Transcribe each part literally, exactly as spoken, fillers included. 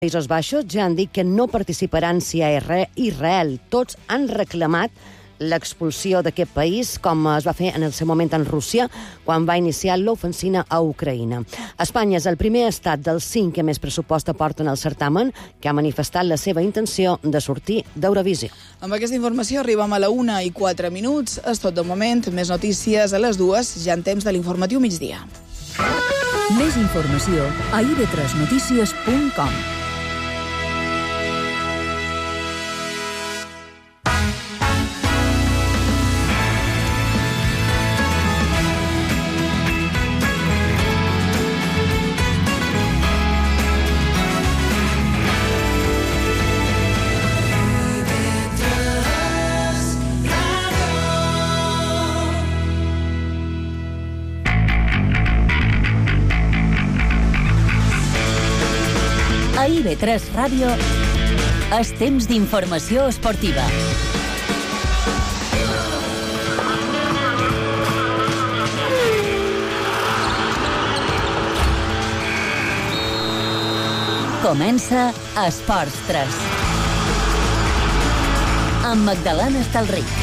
Països Baixos ja han dit que no participaran si hi ha Israel. Tots han reclamat l'expulsió d'aquest país, com es va fer en el seu moment en Rússia, quan va iniciar l'ofensiva a Ucraïna. Espanya és el primer estat dels cinc que més pressupost aporten al certamen, que ha manifestat la seva intenció de sortir d'Eurovisió. Amb aquesta informació arribem a la una i quatre minuts. És tot de moment. Més notícies a les dues, ja en temps de l'informatiu migdia. Més informació a i be tres notícies punt com. A i be tres Ràdio és temps d'informació esportiva. Comença Esports tres. Amb Magdalena Estalric.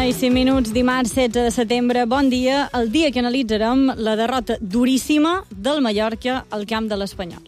I cinc minuts, dimarts setze de setembre. Bon dia, el dia que analitzarem la derrota duríssima del Mallorca al camp de l'Espanyol.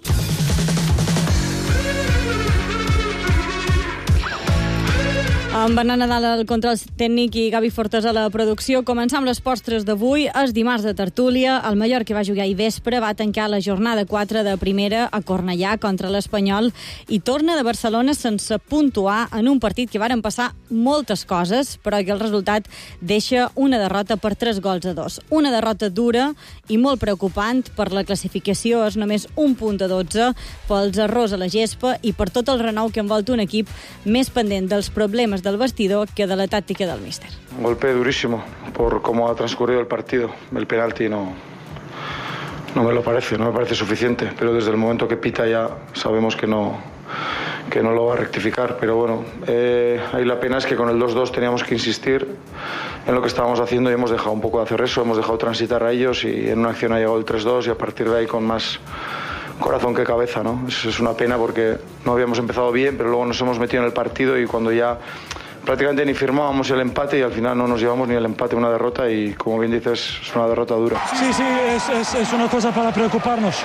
Amb Bernat Nadal al control tècnic i Gavi Fortes a la producció. Començam les postres d'avui. És dimarts de tertúlia. El Mallorca va jugar ahir vespre, va tancar la jornada quatre de primera a Cornellà contra l'Espanyol i torna de Barcelona sense puntuar en un partit que varen passar moltes coses, però que el resultat deixa una derrota per tres gols a dos. Una derrota dura i molt preocupant. Per la classificació és només un punt a dotze pels errors a la gespa i per tot el renou que envolta un equip més pendent dels problemes del vestidor que de la táctica del míster. Un golpe durísimo por cómo ha transcurrido el partido. El penalti no, no me lo parece, no me parece suficiente, pero desde el momento que pita ya sabemos que no, que no lo va a rectificar. Pero bueno, eh, ahí la pena es que con el dos dos teníamos que insistir en lo que estábamos haciendo y hemos dejado un poco de hacer eso, hemos dejado transitar a ellos y en una acción ha llegado el tres dos y a partir de ahí con más corazón que cabeza, ¿no? Es, es una pena porque no habíamos empezado bien, pero luego nos hemos metido en el partido y cuando ya prácticamente ni firmábamos el empate y al final no nos llevamos ni el empate, una derrota y como bien dices es una derrota dura. Sí, sí, es, es, es una cosa para preocuparnos,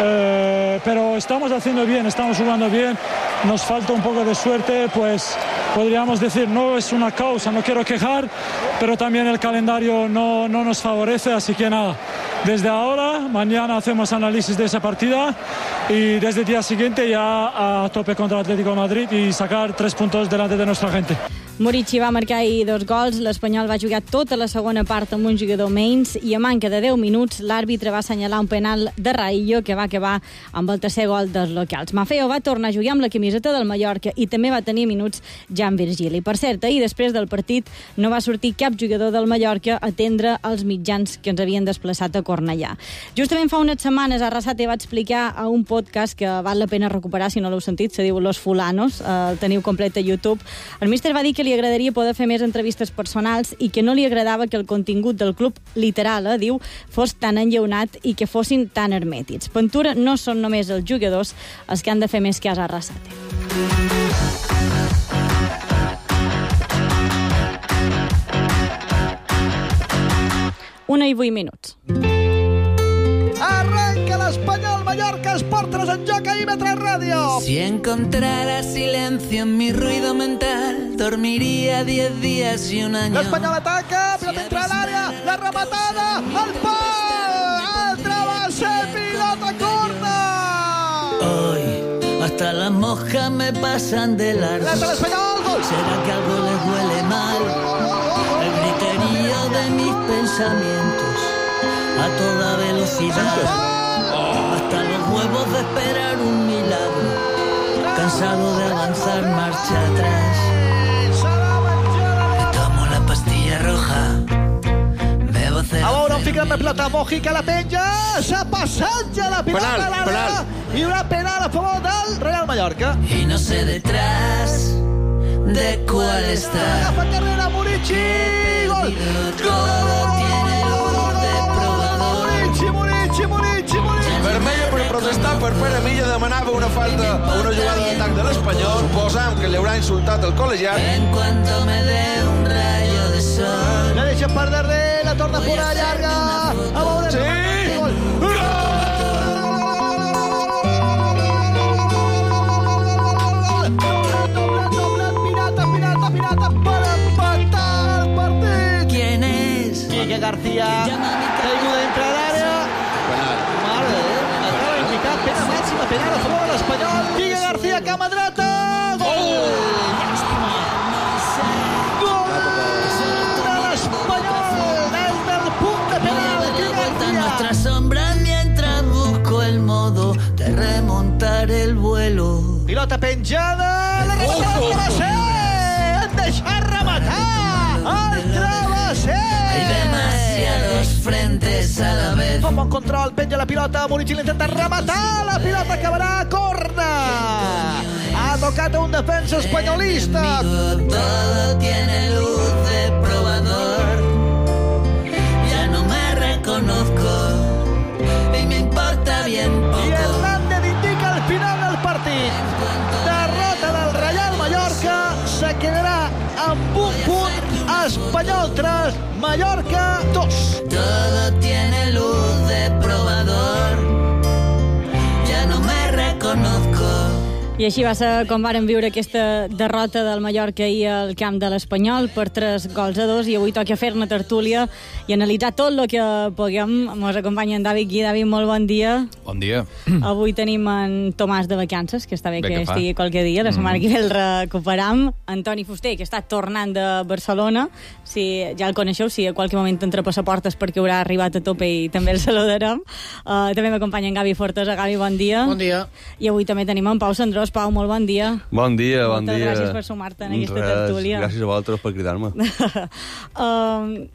eh, pero estamos haciendo bien, estamos jugando bien, nos falta un poco de suerte, pues podríamos decir, no es una causa, no quiero quejar, pero también el calendario no, no nos favorece, así que nada, desde ahora, mañana hacemos análisis de esa partida y desde el día siguiente ya a tope contra el Atlético de Madrid y sacar tres puntos delante de nuestra gente. Murici va marcar ahir dos gols, l'Espanyol va jugar tota la segona part amb un jugador menys i a manca de deu minuts l'àrbitre va assenyalar un penal de Raillo que va acabar amb el tercer gol dels locals. Maffeo va tornar a jugar amb la camiseta del Mallorca i també va tenir minuts Jan Virgili. Per cert, ahir després del partit no va sortir cap jugador del Mallorca a atendre els mitjans que ens havien desplaçat a Cornellà. Justament fa unes setmanes Arrasate va explicar a un podcast que val la pena recuperar si no l'heu sentit, se diu Los Fulanos, el teniu complet a YouTube. El míster va dir que li agradaria poder fer més entrevistes personals i que no li agradava que el contingut del club, literal, eh, diu, fos tan enllaunat i que fossin tan hermètics. Ventura no són només els jugadors els que han de fer més cas a Arrasate. Una i vuit minuts. Arranca l'Espanyol Mallorca, Esport tres en joc a i be tres Ràdio. Si encontrara silencio en mi ruido mental, dormiría diez días y un año. L'Espanyol ataca, pilota entra a l'àrea, la rematada, el pal, el travesser, pilota corna. Hoy hasta las moscas me pasan de largo. L'Espanyol, gol. ¿Será que algo les huele mal? El griterío de mis pensamientos a toda velocidad, hasta los huevos de esperar un milagro, cansado de avanzar marcha atrás. Me tomo la pastilla roja, bebo cerveza. Balón fica amb la pilota, Mojica la penja, s'ha passat ja la pilota penal, a l'àrea, i una penal a favor del Real Mallorca. Y no sé detrás de cuál está. Agafa carrera, Murici, gol! Todo tiene luz de probador. Murici, Murici, Murici, Murici. Vermella per protestar per Pere Milla, demanava una falta a una jugada d'atac de l'Espanyol. Suposam que li haurà insultat el col·legiat. En cuanto me dé un rayo de sol. La deixa per darrere, la torna fora llarga. A veure, sí! Gol! Pirata, pirata, pirata, per empatar el partit. ¿Quién es? Quique García, caiguda dintre l'àrea. Mare de Déu, acaba d'indicar pena màxima, penal a favor de l'Espanyol. Quique García, cama dreta. Gol! Gol de l'Espanyol des del punt de penal. Quique García. Nuestra sombra mientras busco el modo de remontar el vuelo. Pilota penjada, la rematada al travesser. Han deixat rematar al travesser. Hay demasiados frentes a la vez. Con bon control, penja la pilota, Murici l'intenta rematar, la pilota acabarà a corna. Ha tocat a un defensa espanyolista. Todo tiene luz de probador. Ya no me reconozco y me importa bien I poco. Hernández indica el final del partit. Derrota del Real Mallorca, se quedarà amb un punt. Espanyol tres, Mallorca dos. Todo tiene luz de probador. Ya no me reconozco. I així va ser com varen viure aquesta derrota del Mallorca ahir al camp de l'Espanyol per tres gols a dos, i avui toca fer-ne tertúlia i analitzar tot el que puguem. Ens acompanya en David Gui. David, molt bon dia. Bon dia. Avui tenim en Tomàs de vacances, que està bé, bé que, que estigui qualque dia. La setmana mm. que ve el recuperam. Antoni Fuster, que està tornant de Barcelona. Si ja el coneixeu, si a qualque moment entra passaportes perquè haurà arribat a tope i també el saludarem. Uh, també m'acompanya en Gavi Fortesa. Gavi, bon dia. Bon dia. I avui també tenim en Pau Sandrós. Pau, molt bon dia. Bon dia, bon Moltes dia. gràcies per sumar-te en aquesta Res, tertúlia. Gràcies a vosaltres per cridar-me. uh,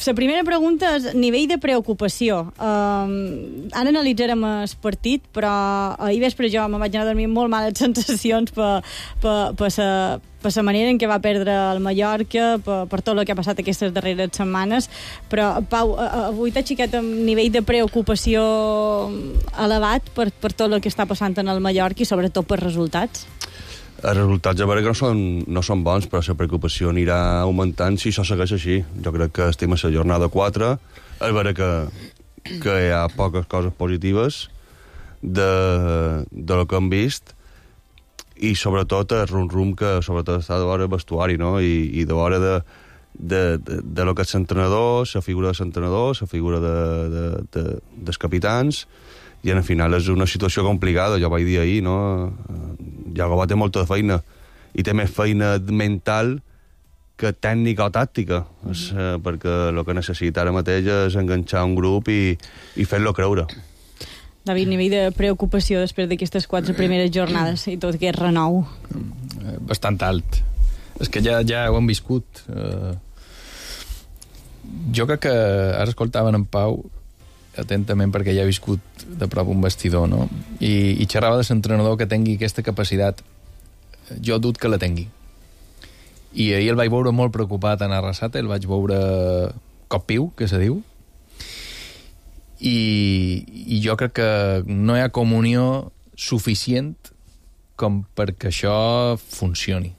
la primera pregunta és nivell de preocupació. Uh, ara analitzarem el partit, però ahir vespre jo me vaig anar a dormir molt males sensacions per, per, per, sa, per la manera en què va perdre el Mallorca, per, per tot el que ha passat aquestes darreres setmanes. Però, Pau, avui t'has xicat amb nivell de preocupació elevat per, per tot el que està passant en el Mallorca i sobretot per resultats? Els resultats a veure que no són, no són bons, però la preocupació anirà augmentant si això segueix així. Jo crec que estem a la jornada quatre, a veure que, que hi ha poques coses positives de, de lo que hem vist, i sobretot el rum-rum que sobretot està de l'hora del vestuari, no? I, i de l'hora de, de, de, de lo que és l'entrenador, la figura de l'entrenador, la figura de, de, de, dels capitans, i al final és una situació complicada. Jo vaig dir ahir, no? Iago té molta feina, i té més feina mental que tècnica o tàctica, mm-hmm. és, eh, perquè el que necessita ara mateix és enganxar un grup i, i fer-lo creure. David, nivell de preocupació després d'aquestes quatre primeres jornades i tot aquest renou? Bastant alt. És que ja, ja ho hem viscut. Uh, jo crec que ara escoltaven en Pau atentament perquè ja he viscut de prop un vestidor, no? I, i xerrava de l'entrenador que tingui aquesta capacitat. Jo dut que la tingui. I ahir el vaig veure molt preocupat en Arrasate, el vaig veure cop piu, que se diu, i, i jo crec que no hi ha comunió suficient com perquè això funcioni.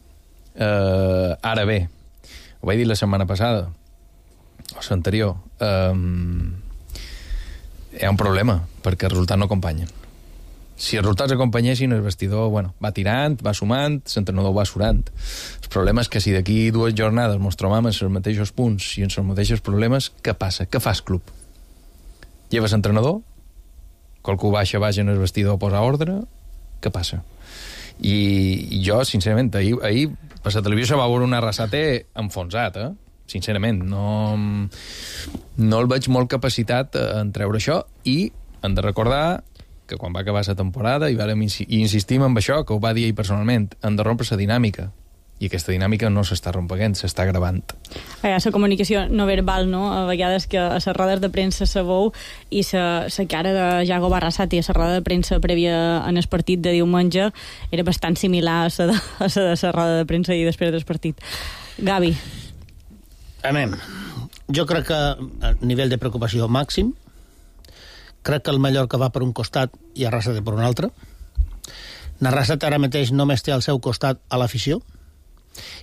Uh, ara bé, ho vaig dir la setmana passada, o l'anterior, um, hi ha un problema, perquè els resultats no acompanyen. Si els resultats acompanyessin, el vestidor, bueno, va tirant, va sumant, l'entrenador va surant. El problema és que si d'aquí dues jornades ens trobam en els mateixos punts i en els mateixos problemes, què passa? Què fas, club? Lleves entrenador? Qualcú baixa, baixa en el vestidor a posar ordre? Què passa? I, i jo, sincerament, ahir, ahir per la televisió va veure un Arrasate enfonsat, eh? Sincerament, no, no el veig molt capacitat en treure això, i hem de recordar que quan va acabar la temporada, i vàrem insistim en això, que ho va dir ell personalment, hem de rompre la dinàmica. I aquesta dinàmica no s'està rompeguent, s'està gravant. La comunicació no verbal, no? A vegades que a les rodes de premsa sabeu i la cara de Yago Barrasate a la roda de premsa prèvia en el partit de diumenge era bastant similar a la de a la de la roda de premsa i després del partit. Gavi. Anem. Jo crec que a nivell de preocupació màxim, crec que el Mallorca va per un costat i Arrasate per un altre. Arrasate ara mateix només té al seu costat a l'afició,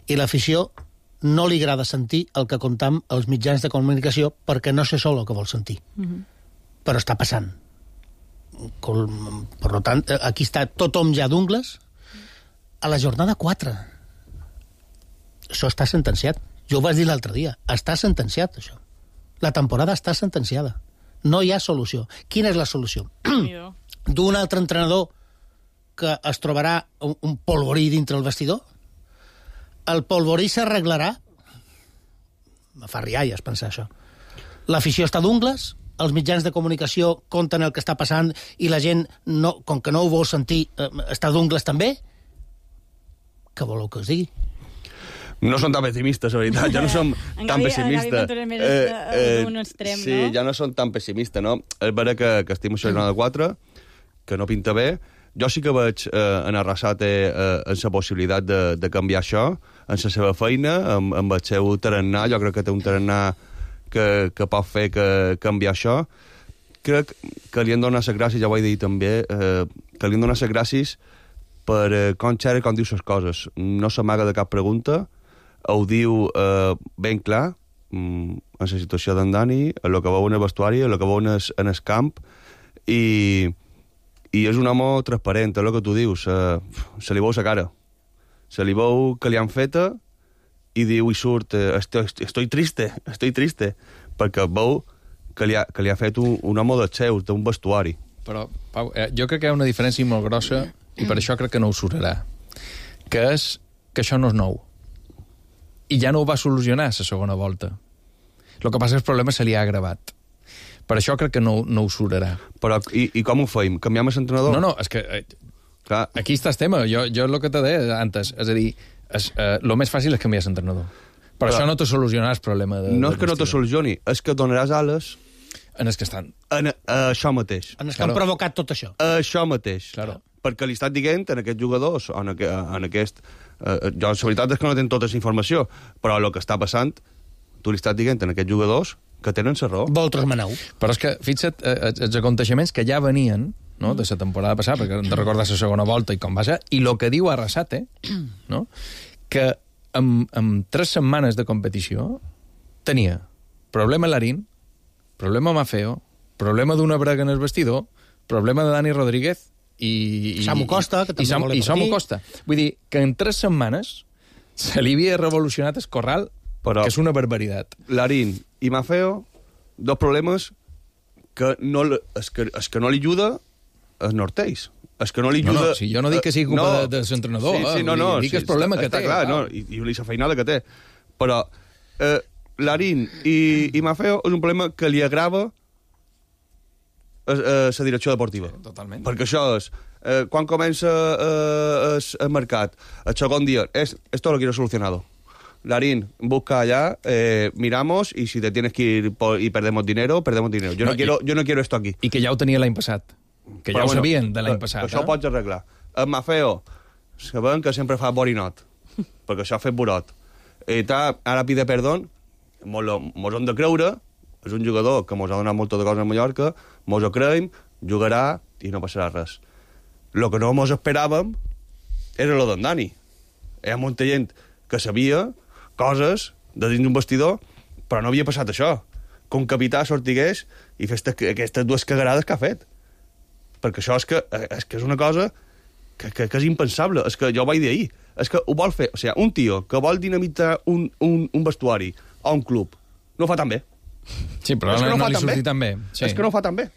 i l'afició no li agrada sentir el que contam als mitjans de comunicació perquè no sé sol el que vol sentir. Mm-hmm. Però està passant. Per tant, aquí està tothom ja d'ungles a la jornada quatre. Això està sentenciat. Jo ho vaig dir l'altre dia. Està sentenciat, això. La temporada està sentenciada. No hi ha solució. Quina és la solució? D'un altre entrenador que es trobarà un, un polvorí dintre el vestidor? El polvorí s'arreglarà? Me fa rialles pensar això. L'afició està d'ungles, els mitjans de comunicació conten el que està passant i la gent, no, com que no ho vol sentir, eh, està d'ungles també? Què voleu que us digui? No som tan pessimistes, la veritat. Ja no som tan pessimistes. Eh, eh, extrem, sí, no? ja no som tan pessimistes, no? És vera que, que estem a jornada quatre, que no pinta bé. Jo sí que veig eh, en Arrasate eh, en la possibilitat de, de canviar això, en la seva feina, amb, amb el seu tarannà. Jo crec que té un tarannà que, que pot fer que canviar això. Crec que li han donat les gràcies, ja ho he dit també, eh, que li han donat les gràcies per eh, com xerra i com diu les coses. No s'amaga de cap pregunta, ho diu eh, ben clar, mm, en la situació d'en Dani, en el que veu en el vestuari, en el que veu en el, en el camp, i... I és un home transparent, és el que tu dius. Uh, se li veu la cara. Se li veu que li han feta i diu i surt uh, estoy, estoy triste, estoy triste, perquè veu que li ha, que li ha fet un, un home dels seus, d'un vestuari. Però, Pau, eh, jo crec que hi ha una diferència molt grossa i per això crec que no ho surarà, que és que això no és nou. I ja no ho va solucionar la segona volta. El que passa és que el problema se li ha agravat. Per això crec que no, no ho surarà. Però i, i com ho feim? Canviem l'entrenador? No, no, és que eh, clar, aquí està el tema. Jo, jo el que t'he dit antes, és a dir, és, eh, el més fàcil és canviar l'entrenador. Però, però això no te solucionarà el problema de... No és que no te solucioni, és que donaràs ales... En els que estan. En, a això mateix. En els que claro. Han provocat tot això. A això mateix. Claro. Perquè li estat dient en aquests jugadors, o en, aqu en aquest... Eh, jo, la veritat és que no tenen tota la informació, però el que està passant, tu li estàs dient en aquests jugadors que tenen la raó. Vosaltres maneu. Però és que, fixa't, eh, els aconteixements que ja venien, no?, de la temporada passada, perquè hem de recordar la segona volta i com va ser, i el que diu Arrasate, no?, que amb, amb tres setmanes de competició tenia problema Larín, problema Mafeo, problema d'una brega en el vestidor, problema de Dani Rodríguez i... i Samu Costa, que també i Sam, volia I Samu Costa. Vull dir que en tres setmanes se li havia revolucionat el corral, però, que és una barbaritat. Larín i Mafeo, dos problemes que no, es que, es que no li ajuda els norteis. Es que no li ajuda... No, no, si jo no dic que sigui culpa no, de, de l'entrenador, sí, sí, no, no, dic sí, que és el problema està, que té. Està clar, no, i, i la feinada que té. Però eh, Larín i, i Mafeo és un problema que li agrava la direcció deportiva. Sí, totalment. Perquè això és... Eh, quan comença eh, el mercat, el segon dia, és, esto lo quiero solucionado. Larín, busca allá, eh, miramos, y si te tienes que ir por, y perdemos dinero, perdemos dinero. Yo no, no quiero, i, yo no quiero esto aquí. I que ja ho tenia l'any passat. Que Però ja ho bueno, sabien de l'any passat. Això eh? ho pots arreglar. El Mafeo, sabem que sempre fa borinot, perquè això ha fet burot. I tal, ara pide perdó, mos, lo, mos hem de creure, és un jugador que mos ha donat molta de coses a Mallorca, mos ho creiem, jugarà i no passarà res. Lo que no mos esperàvem era lo d'en Dani. Hi ha molta gent que sabia coses de dins d'un vestidor, però no havia passat això. Que un capità sortigués i fes aquestes dues cagarades que ha fet. Perquè això és que és, que és una cosa que, que, que és impensable. És que jo ho vaig dir ahir. És que ho vol fer. O sigui, un tio que vol dinamitar un, un, un vestuari o un club no ho fa tan bé. Sí, però no, no, no li sortit tan bé. Sí. És que no ho fa tan bé.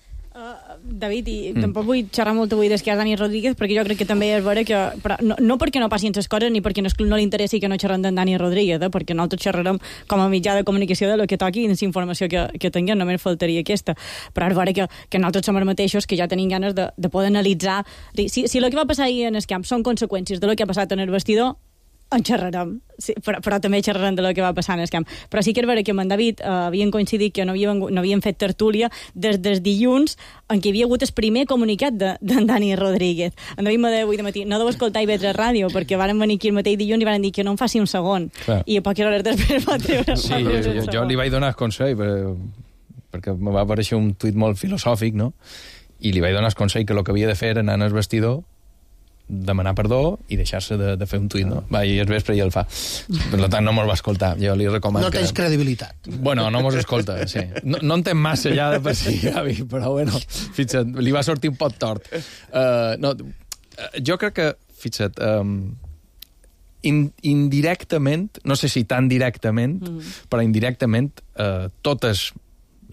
David, i mm. tampoc vull xerrar molt avui d'esquerra Dani Rodríguez, perquè jo crec que també és vera que... Però no, no perquè no passin les coses, ni perquè no, no li interessi que no xerrem d'en Dani Rodríguez, eh? Perquè nosaltres xerrarem com a mitjà de comunicació de lo que toqui i de la informació que, que tinguem, només faltaria aquesta. Però és vera que, que nosaltres som els mateixos, que ja tenim ganes de, de poder analitzar... Si, si el que va passar ahir en el camp són conseqüències de lo que ha passat en el vestidor, en xerrarem, sí, però, però també xerrarem de lo que va passar en el camp. Però sí que és vera que amb en David eh, havien coincidit que no havien, no havien fet tertúlia des del dilluns en què hi havia hagut el primer comunicat d'en de, Dani Rodríguez. En David me deia avui de matí, no deu escoltar i veure ràdio, perquè varen venir aquí el mateix dilluns i van dir que no em faci un segon. Clar. I a poques hores després va treure sí, jo, jo, jo li vaig donar el consell, perquè, perquè me va aparèixer un tuit molt filosòfic, no? I li vaig donar el consell que el que havia de fer era anar al vestidor, demanar perdó i deixar-se de, de fer un tuit, no? Va, i el vespre ja el fa. Per tant, no me'l va escoltar. Jo li recomano no que... tens credibilitat. Bueno, no mos escolta, sí. No, no entenc massa ja de per si, Gavi, però bueno, fixa't, li va sortir un pot tort. Uh, no, jo crec que, fixa't, um, in, indirectament, no sé si tan directament, mm. però indirectament, uh, totes,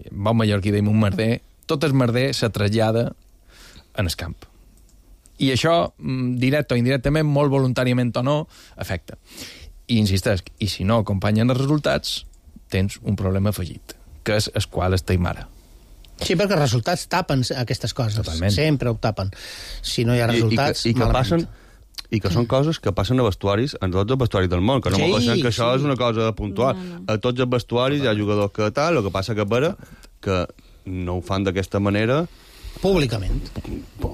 bon mallorquí deim un merder, tot el merder se trasllada en el camp. I això, directe o indirectament, molt voluntàriament o no, afecta. I insisteix, i si no acompanyen els resultats, tens un problema afegit, que és el qual estem ara. Sí, perquè els resultats tapen aquestes coses. Totalment. Sempre ho tapen. Si no hi ha resultats, I, i, que, i que passen i que són coses que passen a vestuaris, en tots els vestuaris del món, que no sí, m'ho pensem que això sí. és una cosa puntual. No, no. A tots els vestuaris hi ha jugadors que tal, el que passa que vera que no ho fan d'aquesta manera públicament.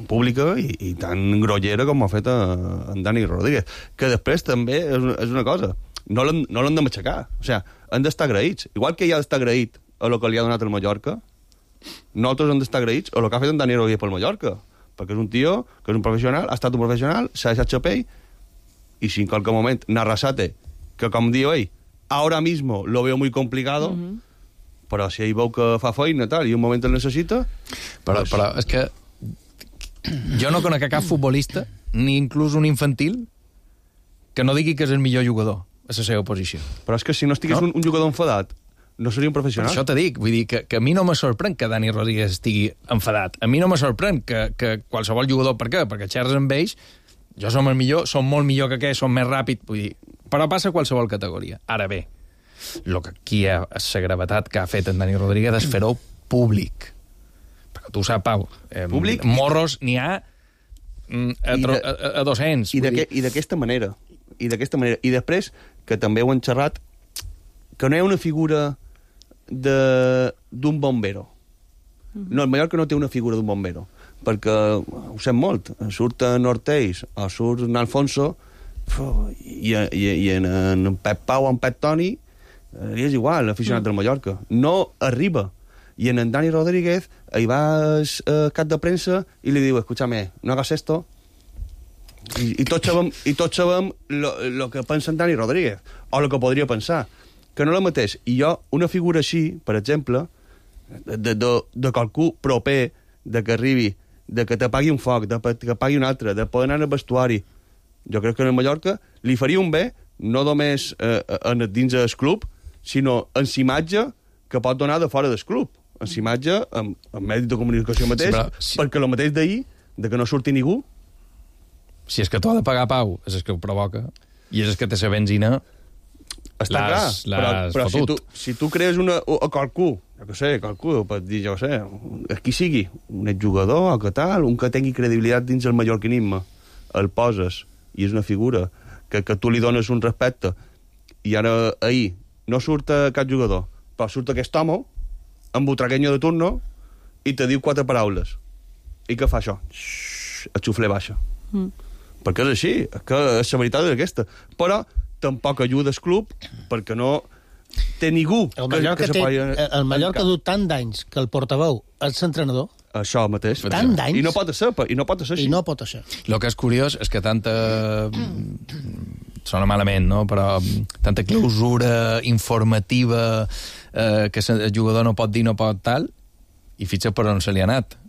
Pública i, i tan grollera com ha fet a, en Dani Rodríguez. Que després també és, és una cosa, no l'han no de matxacar. O sigui, han d'estar agraïts. Igual que ell ha d'estar agraït a lo que li ha donat el Mallorca, nosaltres hem d'estar agraïts a lo que ha fet en Dani Rodríguez pel Mallorca. Perquè és un tio que és un professional, ha estat un professional, s'ha deixat xapell, i si en qualque moment Narrasate, que com diu ell, ahora mismo lo veo muy complicado, uh-huh. però si ell veu que fa feina tal, i un moment el necessita... Però, doncs... però és que jo no conec cap futbolista, ni inclús un infantil, que no digui que és el millor jugador a la seva posició. Però és que si no estigués no? un, un jugador enfadat, no seria un professional. Per això te dic, vull dir que, que a mi no me sorprèn que Dani Rodríguez estigui enfadat. A mi no me sorprèn que, que qualsevol jugador... Per què? Perquè xerres amb ells, jo som el millor, som molt millor que aquell, som més ràpid, vull dir... Però passa a qualsevol categoria. Ara bé, el que aquí hi ha la gravetat que ha fet en Dani Rodríguez és fer-ho públic. Perquè tu saps, Pau, eh, públic? morros n'hi ha a, de, a, a dos-cents. I d'aquesta manera. I d'aquesta manera. I després, que també ho han xerrat, que no hi ha una figura d'un bombero. No, el Mallorca no té una figura d'un bombero, perquè ho sent molt. Surt en Orteix o surt en Alfonso i, i, i en, en Pep Pau o en Pep Toni i és igual, l'aficionat mm. del Mallorca. No arriba. I en, en Dani Rodríguez hi va al cap de premsa i li diu, escúchame, no hagas esto. I, i tots sabem, i tots sabem lo, lo que pensa en Dani Rodríguez, o lo que podria pensar. Que no la mateix. I jo, una figura així, per exemple, de, de, de qualcú proper, de que arribi, de que t'apagui un foc, de que apagui un altre, de poder anar al vestuari, jo crec que en el Mallorca li faria un bé, no només eh, en, dins del club, sinó en l'imatge que pot donar de fora del club. En l'imatge, en, en mèdic de comunicació mateix, sí, però, si... perquè el mateix d'ahir, de que no surti ningú... Si és que t'ho ha de pagar, Pau, és el que ho provoca, i és el que té la benzina... Està clar, però, però si, tu, si tu crees una, a qualcú, jo què sé, qualcú, pot dir, jo què sé, qui sigui, un exjugador o que tal, un que tingui credibilitat dins el mallorquinisme, el poses, i és una figura, que, que tu li dones un respecte, i ara, ahir, no surt cap jugador, però surt aquest home, amb butraguenyo de turno, i te diu quatre paraules. I què fa això? Xxxt, el xufler baixa. Mm. Perquè és així, que la veritat és aquesta. Però tampoc ajuda el club, perquè no té ningú el Mallorca que, que té, se el Mallorca du tant d'anys que el portaveu és l'entrenador. Això mateix. Tant d'anys. I no pot ser, i no pot ser així. I no pot ser. El que és curiós és que tanta... Sona malament, no? Però tanta clausura informativa eh, que el jugador no pot dir, no pot tal, i fitxa per on se li ha anat.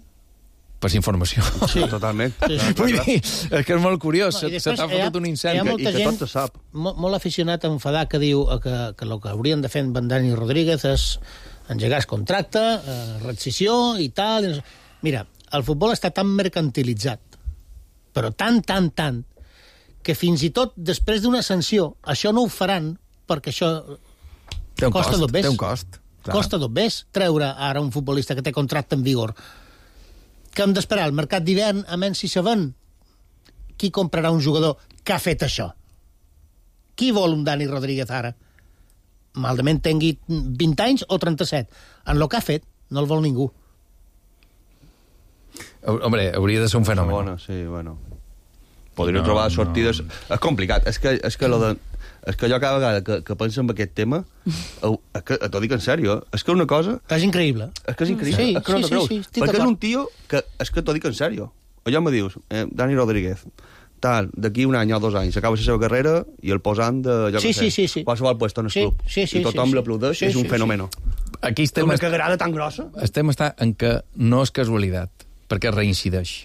Per informació. Sí, totalment. Sí, sí. Vull dir, és que és molt curiós. No, se t'ha fotut un incendi. I que gent, tot se sap. Molt, molt aficionat a enfadar que diu que, que el que haurien de fer en Dani Rodríguez és engegar el contracte, eh, rescissió i tal. Mira, el futbol està tan mercantilitzat, però tan, tan, tant, que fins i tot després d'una sanció, això no ho faran perquè això té un costa cost, dos bes. Té un cost. Clar. Costa dos bes treure ara un futbolista que té contracte en vigor. Que hem d'esperar al mercat d'hivern a menys si sabem qui comprarà un jugador que ha fet això. Qui vol un Dani Rodríguez ara? Malament tingui vint anys o trenta-set. En el que ha fet, no el vol ningú. Hombre, hauria de ser un fenomen. Bona, sí, bueno. Podria no, trobar sortides... No. És complicat. És que, és que, lo de, és que jo cada vegada que, que penso en aquest tema, és que, t'ho dic en sèrio, és que una cosa... És increïble. És que és increïble. Sí, és que no sí, sí, sí, perquè és un tio que... És que t'ho dic en sèrio. Allò me dius, eh, Dani Rodríguez, tal, d'aquí un any o dos anys acaba la seva carrera i el posant de, jo sí, que sé, sí, sí, sí. qualsevol puesto en el sí, club. Sí, sí, I tothom sí, sí. l'aplaudeix, sí, és un sí, fenomeno. Sí. Aquí estem... Una cagarada tan grossa. Estem està en que no és casualitat, perquè reincideix.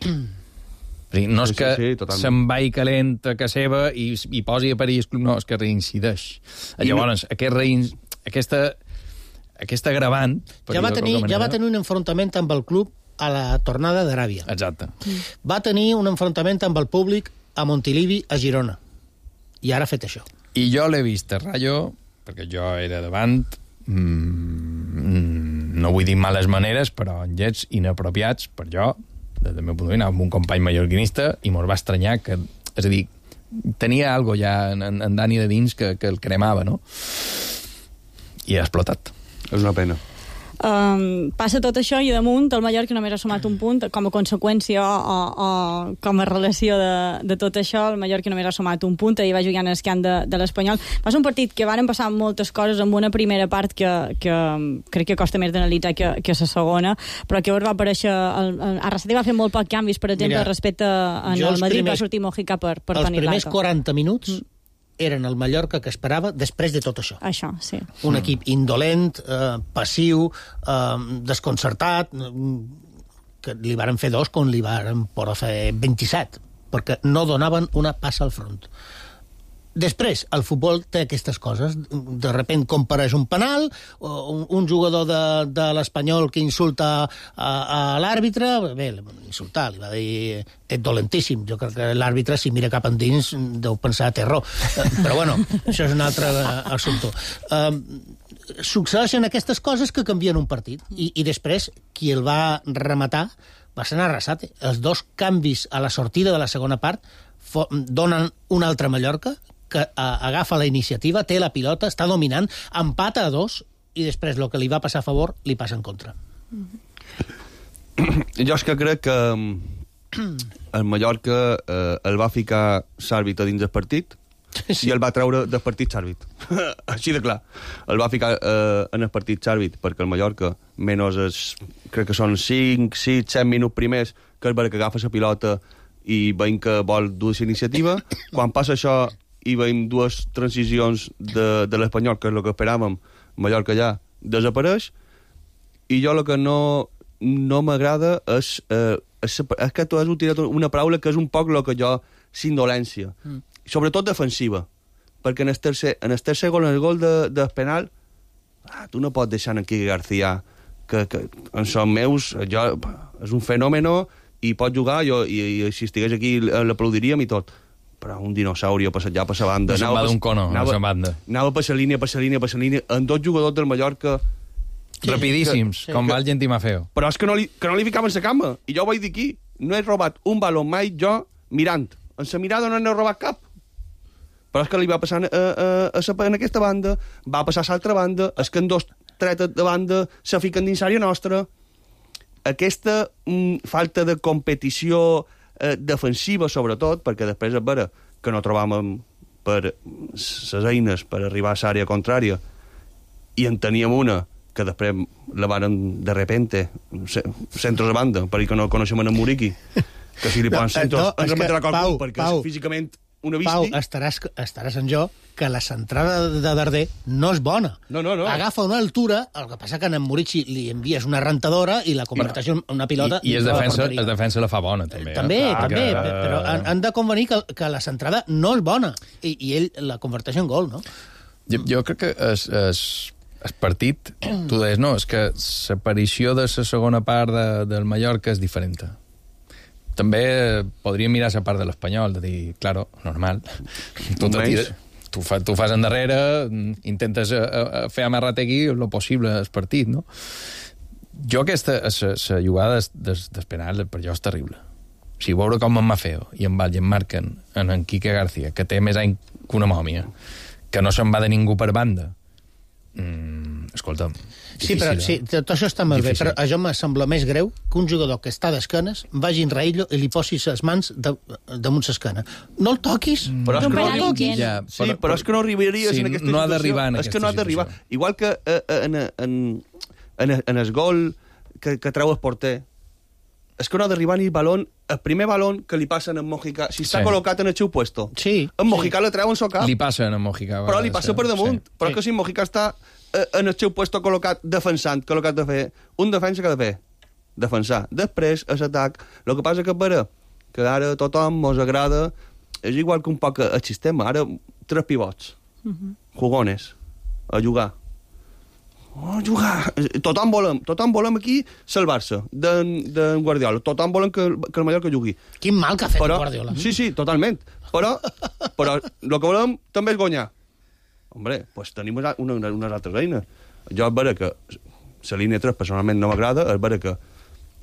No és que sí, sí, sí, se'n va i calent a casa seva i, i posi a París, no, és que reincideix. I Llavors, no... aquest rein... aquesta, aquesta agravant... Ja va, tenir, ja va tenir un enfrontament amb el club a la tornada d'Aràbia. Exacte. Va tenir un enfrontament amb el públic a Montilivi, a Girona. I ara ha fet això. I jo l'he vist a Rayo, perquè jo era davant, mmm, no vull dir males maneres, però en gets inapropiats per jo, des del meu punt de vista, amb un company mallorquinista, i mos va estranyar que... És a dir, tenia algo ja en, en Dani de dins que, que el cremava, no? I ha explotat. És una pena. Um, passa tot això i damunt el Mallorca només ha sumat un punt com a conseqüència o, o, o com a relació de, de tot això. El Mallorca només ha sumat un punt i va jugar en escan de, de l'Espanyol. Va ser un partit que varen passar moltes coses amb una primera part que, que crec que costa més d'analitzar que, que la segona, però que va aparèixer el, el Arrasate va fer molt poc canvis, per exemple. Mira, respecte en el Madrid primers, va sortir Mojica per, per Toni Lato. Els primers quaranta minuts mm. eren el Mallorca que esperava després de tot això. Això, sí. Un equip indolent, eh, passiu, eh, desconcertat, que li varen fer dos quan li varen poder fer vint-i-set, perquè no donaven una passa al front. Després, el futbol té aquestes coses. De repent compareix un penal, un, un jugador de, de l'Espanyol que insulta a, a l'àrbitre, bé, insultar, li va dir ets dolentíssim. Jo crec que l'àrbitre, si mira cap endins, deu pensar terror. Però bueno, això és un altre assumpte. Um, succeeixen aquestes coses que canvien un partit. I, i després, qui el va rematar va ser Arrasate. Els dos canvis a la sortida de la segona part donen un altre Mallorca que agafa la iniciativa, té la pilota, està dominant, empata a dos i després el que li va passar a favor li passa en contra. Jo és que crec que el Mallorca eh, el va ficar Sàrbit a dins del partit sí. i el va treure del partit Sàrbit. Així de clar. El va ficar eh, en el partit Sàrbit perquè el Mallorca, menys es, crec que són cinc, sis, set minuts primers, que és perquè agafa la pilota i veiem que vol dur la iniciativa. Quan passa això i veiem dues transicions de, de l'Espanyol, que és el que esperàvem, Mallorca ja desapareix, i jo el que no, no m'agrada és, eh, és, és que tu has utilitzat una paraula que és un poc el que jo, s'indolència, mm. sobretot defensiva, perquè en el tercer, en el tercer gol, en el gol de, del penal, ah, tu no pots deixar en Quique García, que, que en són meus, jo, és un fenòmeno, i pot jugar, jo, i, i si estigués aquí l'aplaudiríem i tot, però un dinosauri passat ja per la banda. No se'n va d'un cono, anava, no se'n banda. Anava per la línia, per la línia, per la línia, en dos jugadors del Mallorca... Sí, rapidíssims, que, com que, va el Gentimafeo. Però és que no li, que no li ficaven la cama, i jo ho vaig dir aquí, no he robat un baló mai jo mirant. En la mirada no n'he robat cap. Però és que li va passar a, a, a, a, en aquesta banda, va passar a l'altra banda, és que en dos tretes de banda se fiquen dins l'àrea nostra. Aquesta mm, falta de competició eh, defensiva, sobretot, perquè després és vera que no trobàvem per les eines per arribar a l'àrea contrària i en teníem una que després la varen de repente centros de banda, perquè no coneixem en Muriqui, que si li posen no, centros no, ens remetrà qualcú, perquè Pau, és físicament una visti. Pau, estaràs, estaràs en jo que la centrada de Darder no és bona. No, no, no. Agafa una altura, el que passa que a en Murici li envies una rentadora i la converteix en una pilota... I, i es, defensa, es defensa la fa bona, també. Eh? També, ah, també, que... però han, han de convenir que, que la centrada no és bona i, i ell la converteix en gol, no? Jo, jo crec que es, es, es partit, tu deies, no, és que l'aparició de la segona part de, del Mallorca és diferent. També podríem mirar la part de l'Espanyol, de dir, claro, normal, tu, tu, fa, tu fas endarrere, intentes a, a fer amarrategui el possible el partit, no? Jo aquesta, la jugada del de, penal, per jo és terrible. O sigui, veure com en Mafeo i en Val i en marquen en en Quique García, que té més any que una mòmia, que no se'n va de ningú per banda. Mm, escolta'm, sí, però, sí, tot això està molt difícil. Bé, però a jo me sembla més greu que un jugador que està d'esquenes vagi en Raillo i li posi les mans de, damunt l'esquena. No el toquis. Mm. Però és que no el toquis. Ja, sí, però, però és que no arribaries sí, en aquesta no situació. Ha d'arribar en és aquesta que no ha d'arribar. Igual que eh, en, en, en, en el gol que, que treu el porter, és que no ha d'arribar ni el balón, el primer balón que li passen en Mojica, si està sí. col·locat en el seu puesto. Sí. En Mojica sí. le treuen el cap. Li passen a Mojica. Però li passa per damunt. Sí. Però sí. que si Mojica està en el seu puesto col·locat defensant, que el que ha de fer, un defensa que ha de fer, defensar. Després, a l'atac, el que passa que per que ara a tothom mos agrada, és igual que un poc el sistema, ara tres pivots, uh-huh. jugones, a jugar. Oh, jugar. Tothom volem, tothom volem aquí salvar-se d'en Guardiola. Tothom volem que, que el Mallorca jugui. Quin mal que ha fet però, Guardiola. Sí, sí, totalment. Però, però el que volem també és guanyar. Hombre, pues tenim una, una, unes altres eines. Jo és vera que la línia tres personalment no m'agrada, és vera que...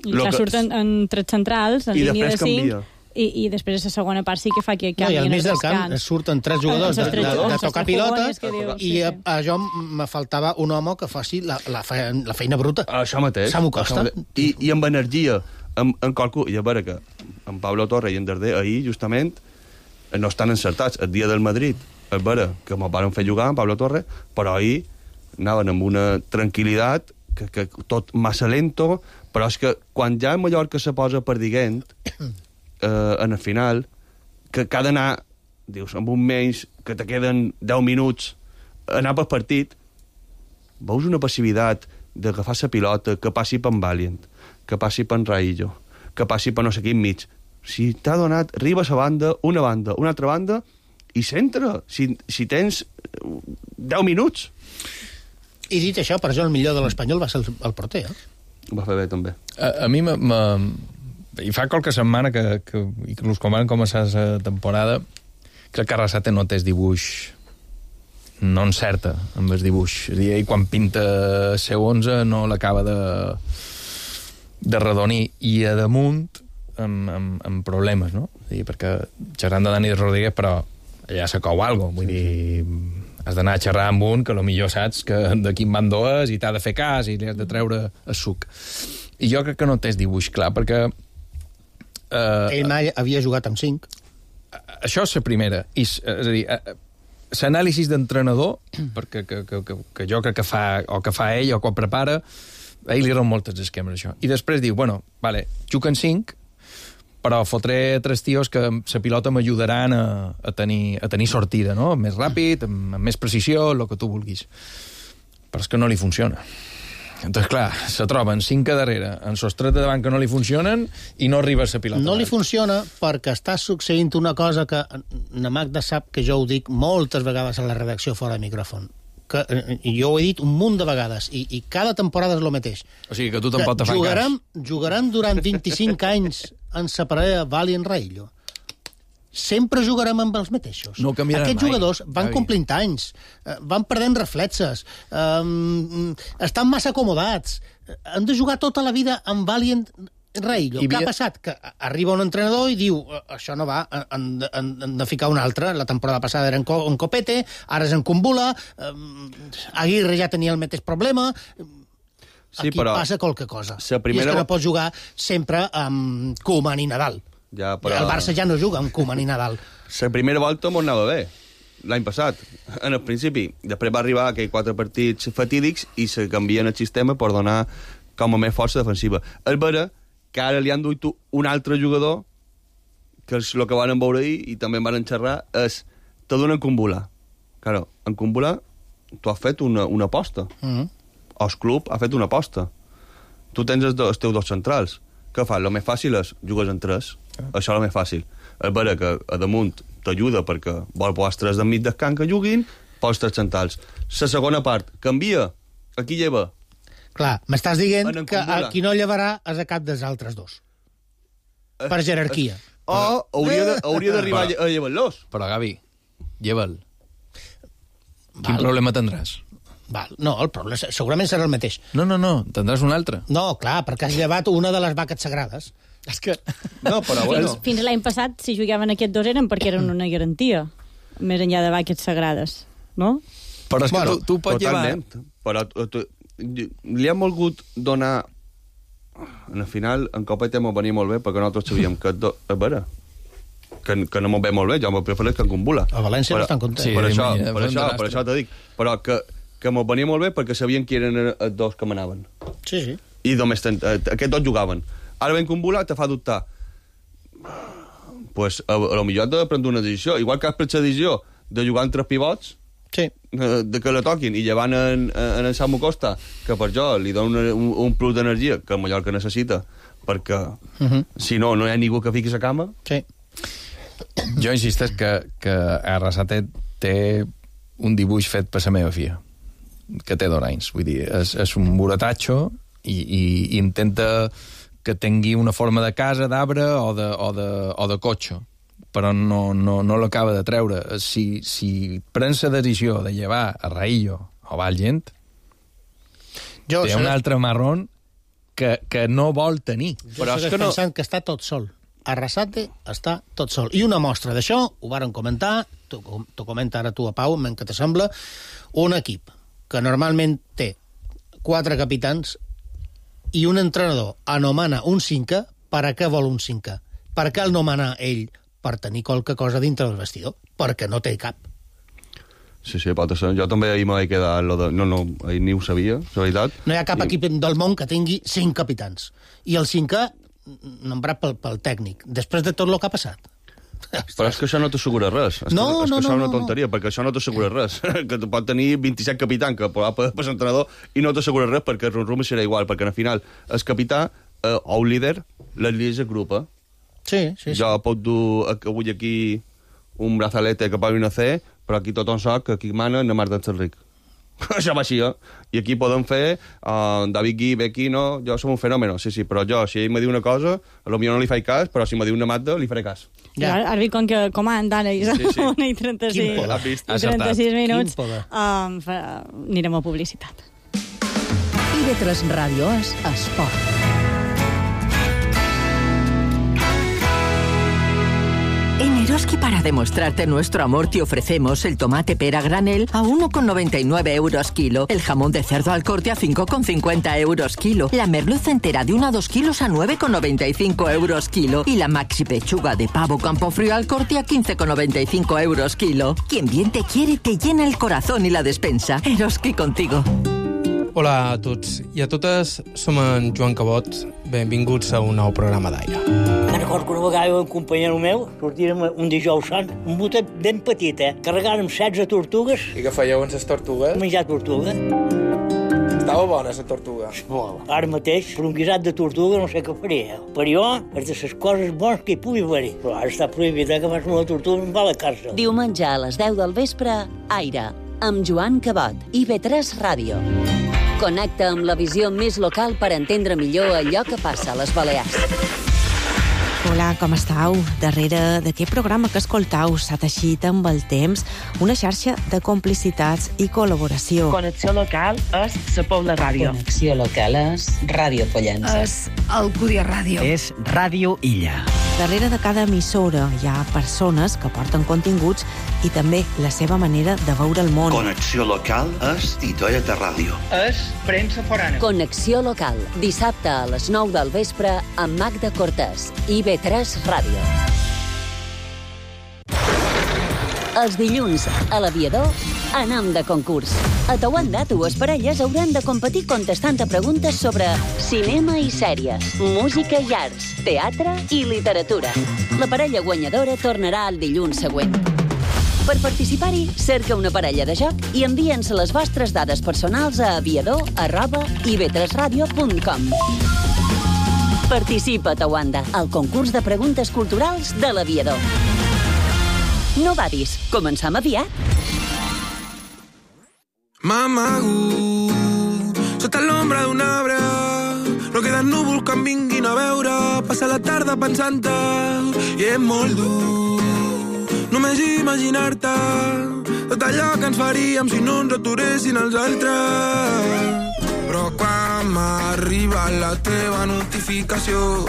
I que surten en tres centrals, en línia de cinc... I, i després a la segona part sí que fa que canvien no, i al mig del camp camps. surten tres jugadors de, de, de, de tocar pilotes diu, i sí, a, a jo me faltava un home que faci la, la, feina, la feina bruta. Això mateix. Samu Costa. I, I amb energia, amb, amb qualcú... I a veure que en Pablo Torre i en Darder ahir, justament, no estan encertats. El dia del Madrid, és vera que me'l van fer jugar en Pablo Torre, però ahir anaven amb una tranquil·litat que, que tot massa lento, però és que quan ja el Mallorca se posa perdiguent, eh, en el final, que, que ha d'anar, dius, amb un menys, que te queden deu minuts, anar pel partit, veus una passivitat d'agafar la pilota, que passi per en Valiant, que passi per en Raillo, que passi per no sé quin mig. Si t'ha donat, arriba a la banda, una banda, una altra banda, i centra, si, si tens deu minuts. I dit això, per això el millor de l'Espanyol va ser el, el porter, eh? Ho va fer bé, també. A, a mi m'ha... I fa qualque setmana que, que inclús quan van començar la temporada, crec que Arrasate no té el dibuix, no encerta amb el dibuix. És a dir, ell quan pinta C onze no l'acaba de, de redonir. I a damunt, amb, amb, amb problemes, no? És a dir, perquè xerrant de Dani Rodríguez, però allà se cou alguna cosa. Vull dir, has d'anar a xerrar amb un que potser saps que de quin bando és i t'ha de fer cas i li has de treure el suc. I jo crec que no té el dibuix clar, perquè Uh, ell mai havia jugat amb cinc. Això és la primera. I, és a dir, l'anàlisi d'entrenador, perquè que, que, que, que jo crec que fa, o que fa ell, o que ho prepara, a ell li eren moltes esquemes, això. I després diu, bueno, vale, juguen cinc, però fotré tres tios que la pilota m'ajudaran a, a, tenir, a tenir sortida, no? Més ràpid, amb, amb més precisió, el que tu vulguis. Però és que no li funciona. Entonces, clar, se troben cinc a darrere, en sostret de davant que no li funcionen i no arriba a la pilota. No li funciona perquè està succeint una cosa que na Magda sap que jo ho dic moltes vegades a la redacció fora de micròfon. Que, jo ho he dit un munt de vegades i, i cada temporada és el mateix. O sigui que tu tampoc te fan jugarem, cas. Jugarem durant vint-i-cinc anys en la parella Valiant Raillo. Sempre jugarem amb els mateixos. No canviaran Aquests mai. jugadors van Javi. complint anys, van perdent reflexes, um, estan massa acomodats, han de jugar tota la vida amb Valiant Raillo. Què ha passat? Que arriba un entrenador i diu això no va, han de, han de ficar un altre. La temporada passada era en, Co en Copete, ara és en Kumbula, um, Aguirre ja tenia el mateix problema. Sí, aquí però passa qualque cosa. Primera... I és que no pots jugar sempre amb Koeman i Nadal. Ja, però... El Barça ja no juga amb Koeman i Nadal. La primera volta m'ho anava bé, l'any passat, en el principi. Després va arribar aquells quatre partits fatídics i se canvien el sistema per donar com a més força defensiva. És vera que ara li han duit un altre jugador, que és el que van veure ahir i també en van xerrar, és te donen Kumbula. Claro, en Kumbula tu has fet una, una aposta. Mm -hmm. El club ha fet una aposta. Tu tens els, els teus dos centrals. Què fas? El més fàcil és jugues en tres. Ah. Això és el més fàcil. És vera que a damunt t'ajuda perquè vol posar tres d'enmig del camp que juguin, pos tres centrals. La segona part, canvia. Aquí lleva. Clar, m'estàs dient que el qui no llevarà és a cap dels altres dos. Es, per jerarquia. Es, o hauria d'arribar a llevar-los. Però, Gavi, lleva'l. Quin problema tindràs? Val. No, el problema segurament serà el mateix. No, no, no, tindràs un altre. No, clar, perquè has llevat una de les vaques sagrades. És que... No, però bueno. Fins, fins l'any passat, si jugaven aquests dos eren perquè eren una garantia, més enllà de vaques sagrades. no? Però és que bueno, tu, tu pots totalment. llevar... Però tu, tu, li hem volgut donar... En el final, en Copete m'ho venia molt bé, perquè nosaltres sabíem que... Do... A veure, que, que no m'ho ve molt bé, jo m'ho prefereix que en Cumbula. A València però, no estan contents. Sí, per, això, imagina, per, això, per això t'ho dic. Però que, que m'ho venia molt bé perquè sabien que eren els dos que manaven. Sí, sí. I només ten, eh, aquests dos jugaven. Ara ben Cumbula te fa dubtar. Pues, a, a lo millor has de prendre una decisió. Igual que has pres la decisió de jugar amb tres pivots, sí. de que la toquin, i llevant en, en el Samu Costa, que per jo li dona un, un plus d'energia que el Mallorca necessita, perquè uh -huh. si no, no hi ha ningú que fiqui la cama. Sí. Jo insisteix que, que Arrasate té un dibuix fet per la meva filla, que té dos anys. Vull dir, és, és un buratatxo i, i, i intenta que tingui una forma de casa, d'arbre o de, o de, o de cotxe, però no, no, no l'acaba de treure. Si, si prens la decisió de llevar a Raillo o Valgent, jo té un altre marrón que, que no vol tenir. Jo però és que no... pensant que està tot sol. Arrasate està tot sol. I una mostra d'això, ho varen comentar, t'ho comenta ara tu a Pau, que te sembla, un equip que normalment té quatre capitans i un entrenador anomena un cinquè. Per a què vol un cinquè? Per què el nomena ell? Per tenir qualque cosa dintre del vestidor, perquè no té cap. Sí, sí, pot ser. Jo també ahir m'he quedat... Lo de... No, no, ahir ni ho sabia, la veritat. No hi ha cap I... equip del món que tingui cinc capitans. I el cinquè, nombrat pel, pel tècnic, després de tot el que ha passat. Però és que això no t'assegura res. És no, que, és no, que això no, és una no, tonteria, no. Perquè això no t'assegura res. Que tu pot tenir vint-i-set capitans, que pot per l'entrenador, i no t'assegura res, perquè el rum serà igual, perquè al final el capità eh, o el líder, les líders agrupa. Sí, sí, sí. Jo puc dur avui aquí un brazalete que pugui no fer, però aquí tothom sap que aquí mana na Marta Enric. Això va així, eh? I aquí podem fer uh, David Gui, Becky, no? Jo som un fenòmeno, sí, sí, però jo, si ell me diu una cosa, potser no li faig cas, però si me diu una Marta, li faré cas. Ja. Ara vi com que comanda, ara, i sí, sí. una i trenta-sis, i trenta-sis minuts, um, fa, anirem a publicitat. I de tres Ràdio és Esport. En Eroski, para demostrarte nuestro amor, te ofrecemos el tomate pera granel a uno con noventa y nueve euros kilo, el jamón de cerdo al corte a cinco con cincuenta euros kilo, la merluza entera de uno a dos kilos a nueve con noventa y cinco euros kilo y la maxi pechuga de pavo Campofrío al corte a quince con noventa y cinco euros kilo. Quien bien te quiere te llena el corazón y la despensa. Eroski contigo. Hola a tots i a totes, som en Joan Cabot. Benvinguts a un nou programa d'Aire. Me'n recordo que una vegada un companyero meu sortirem un dijous sant, un botet ben petit, eh? Carregàrem setze tortugues. I què fèieu amb les tortugues? Menjar tortuga. Estava bona, la tortuga. Molt. Ara mateix, per un guisat de tortuga no sé què faria. Per jo, és de les coses bones que hi pugui haver-hi. Però ara està prohibit, eh, que fas una tortuga i em va a la càrcel. Diumenge a les deu del vespre, Aire, amb Joan Cabot, I V tres Ràdio. Connecta amb la visió més local per entendre millor allò que passa a les Balears. Hola, com estàu? Darrere d'aquest programa que escoltau s'ha teixit amb el temps una xarxa de complicitats i col·laboració. Connexió local és la Pobla Ràdio. Connexió local és Ràdio Pollença. És Alcúdia Ràdio. És Ràdio Illa. Darrere de cada emissora hi ha persones que porten continguts i també la seva manera de veure el món. Connexió local és Titoeta Ràdio. És premsa forana. Connexió local, dissabte a les nou del vespre amb Magda Cortés, I V tres Ràdio. Els dilluns, a l'Aviador, anam de concurs. A Tauanda, dues parelles hauran de competir contestant a preguntes sobre cinema i sèries, música i arts, teatre i literatura. La parella guanyadora tornarà el dilluns següent. Per participar-hi, cerca una parella de joc i envia'ns les vostres dades personals a aviador arroba i v tres ràdio punt com. Participa a Tauanda, al concurs de preguntes culturals de l'Aviador. No badis, començam aviat. M'amago sota l'ombra d'un arbre, no queden núvols que em vinguin a veure, passa la tarda pensant-te i és molt dur només imaginar-te tot allò que ens faríem si no ens aturessin els altres. Però quan m'arriba la teva notificació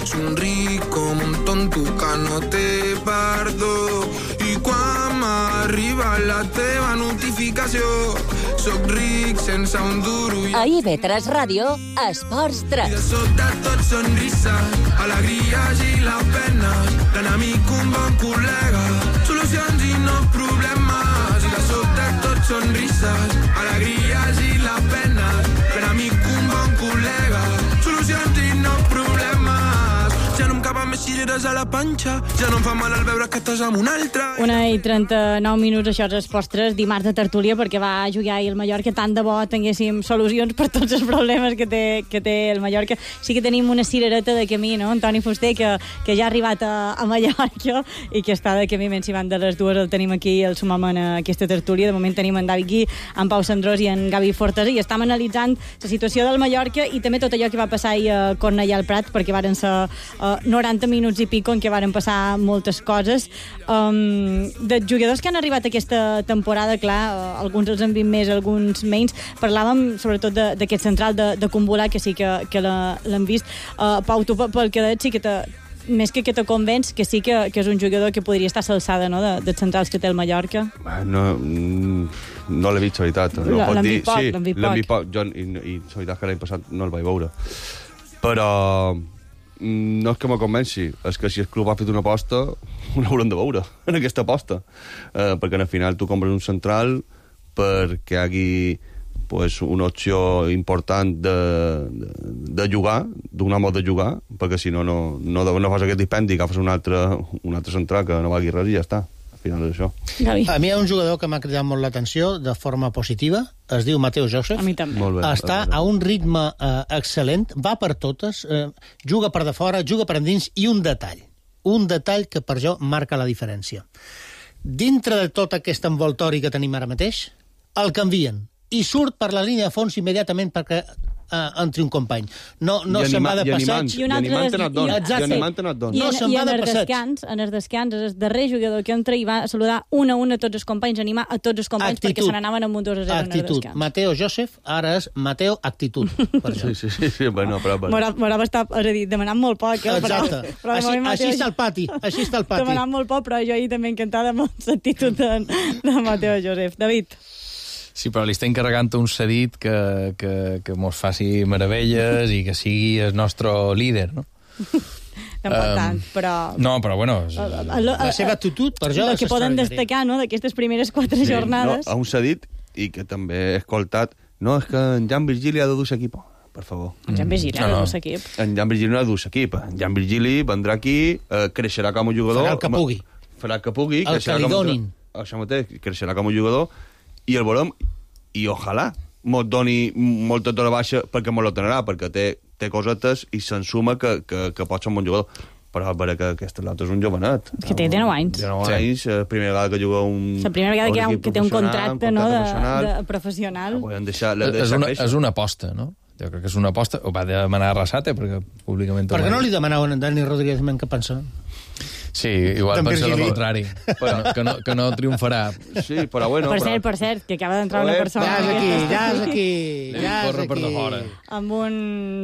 somric com un tonto que no té perdó, i quan m'arriba arriba la teva notificació. Soc ric sense un duro. A I V tres Ràdio, Esports I de tres. sota tot sonrises, alegries i les penes. L'enemic un bon col·lega, solucions i no problemes. I de sota tot sonrises, alegries i les penes. L'enemic un bon col·lega, solucions i no problemes. Ja no em caben més cireres a la panxa, ja no em fa mal al veure que estàs amb un altre. Una i trenta-nou minuts, això és Esports tres, dimarts de tertúlia, perquè va jugar ahir el Mallorca. Tant de bo tinguéssim solucions per tots els problemes que té, que té el Mallorca. Sí que tenim una cirereta de camí, no? Antoni Fuster, que, que ja ha arribat a, a Mallorca i que està de camí, menys si van de les dues, el tenim aquí, el sumam en aquesta tertúlia. De moment tenim en David Gui, en Pau Sandrós i en Gavi Fortesa, i estem analitzant la situació del Mallorca i també tot allò que va passar ahir a Cornellà al Prat, perquè varen ser uh, noranta minuts i pico en què varen passar moltes coses. Um, de jugadors que han arribat aquesta temporada, clar, uh, alguns els han vist més, alguns menys. Parlàvem sobretot d'aquest central de, de Kumbula, que sí que, que l'han vist. Uh, Pau, tu pel que deies sí que te, més que que te convenç que sí que, que és un jugador que podria estar a l'alçada, no?, de, dels centrals que té el Mallorca. No, no l'he vist, la veritat. No l'han vist poc, l'han vist poc. poc. Jo, i, i la veritat que l'any passat no el vaig veure. Però no és que me convenci, és que si el club ha fet una aposta, ho haurem de veure, en aquesta aposta. Eh, perquè al final tu compres un central perquè hi hagi pues, una opció important de, de, de jugar, d'un home de jugar, perquè si no, no, no, no fas aquest dispendi, agafes un altre, un altre central que no valgui res i ja està. Al final és això. Gavi. A mi hi ha un jugador que m'ha cridat molt l'atenció de forma positiva, es diu Mateo Joseph. A mi també. Molt bé, està a un ritme eh, excel·lent, va per totes, eh, juga per de fora, juga per endins, i un detall, un detall que per jo marca la diferència. Dintre de tot aquest envoltori que tenim ara mateix, el canvien i surt per la línia de fons immediatament perquè uh, entri un company. No, no I se'n anima, va de i passeig. I animant en et dona. I animant en et dona. I, No en, se'n i va en de el passeig. descans, en el descans, és el darrer jugador que entra i va saludar una a una a tots els companys, animar a tots els companys Actitud. perquè se n'anaven amb un dos a zero en el Actitud. descans. Mateo Joseph, ara és Mateo Actitud. Per sí, sí, sí, sí, bueno, però... M'haurà estar, és a dir, demanant molt poc, eh? Exacte. Però, però així, moment, així Mateo, està el pati, així està el pati. demanant molt poc, però jo ahir també encantada amb l'actitud de, de Mateo Joseph. David. Sí, però li està encarregant un cedit que, que, que mos faci meravelles i que sigui el nostre líder, no? Tampoc um, tant, però... No, però bueno... És... La seva actitud, per jo, el és que poden extraordinària. destacar, no?, d'aquestes primeres quatre Sí, jornades... no, a un cedit, i que també he escoltat, no, és que en Jan Virgili ha de dur l'equip, per favor. En Jan Virgili ha de dur l'equip. En Jan Virgili no ha de dur l'equip. En Jan Virgili vendrà aquí, eh, creixerà com a jugador... Farà el que pugui. Farà el que pugui. El que li donin. Això mateix, creixerà com a jugador, i el veurem, i ojalà mos doni molta tora baixa perquè mos lo donarà, perquè té, té cosetes i se'n suma que, que, que pot ser un bon jugador. Però a veure que aquest l'altre és un jovenet. Que té dinou anys. dinou anys, la primera vegada que juga un... La primera vegada que, ha, que té un contracte, no, de, professional. de professional. No, deixar, és, una, és una aposta, no? Jo crec que és una aposta. Ho va demanar a Arrasate, perquè públicament... Per què no li demanaven a Dani Rodríguez men que pensa? Sí, igual pensa el contrari, que no, que, no, que no triomfarà. Sí, però bueno... Per però... cert, per cert, que acaba d'entrar una persona... Ja és aquí, ja és aquí, ja és Corre per de aquí. fora. Amb un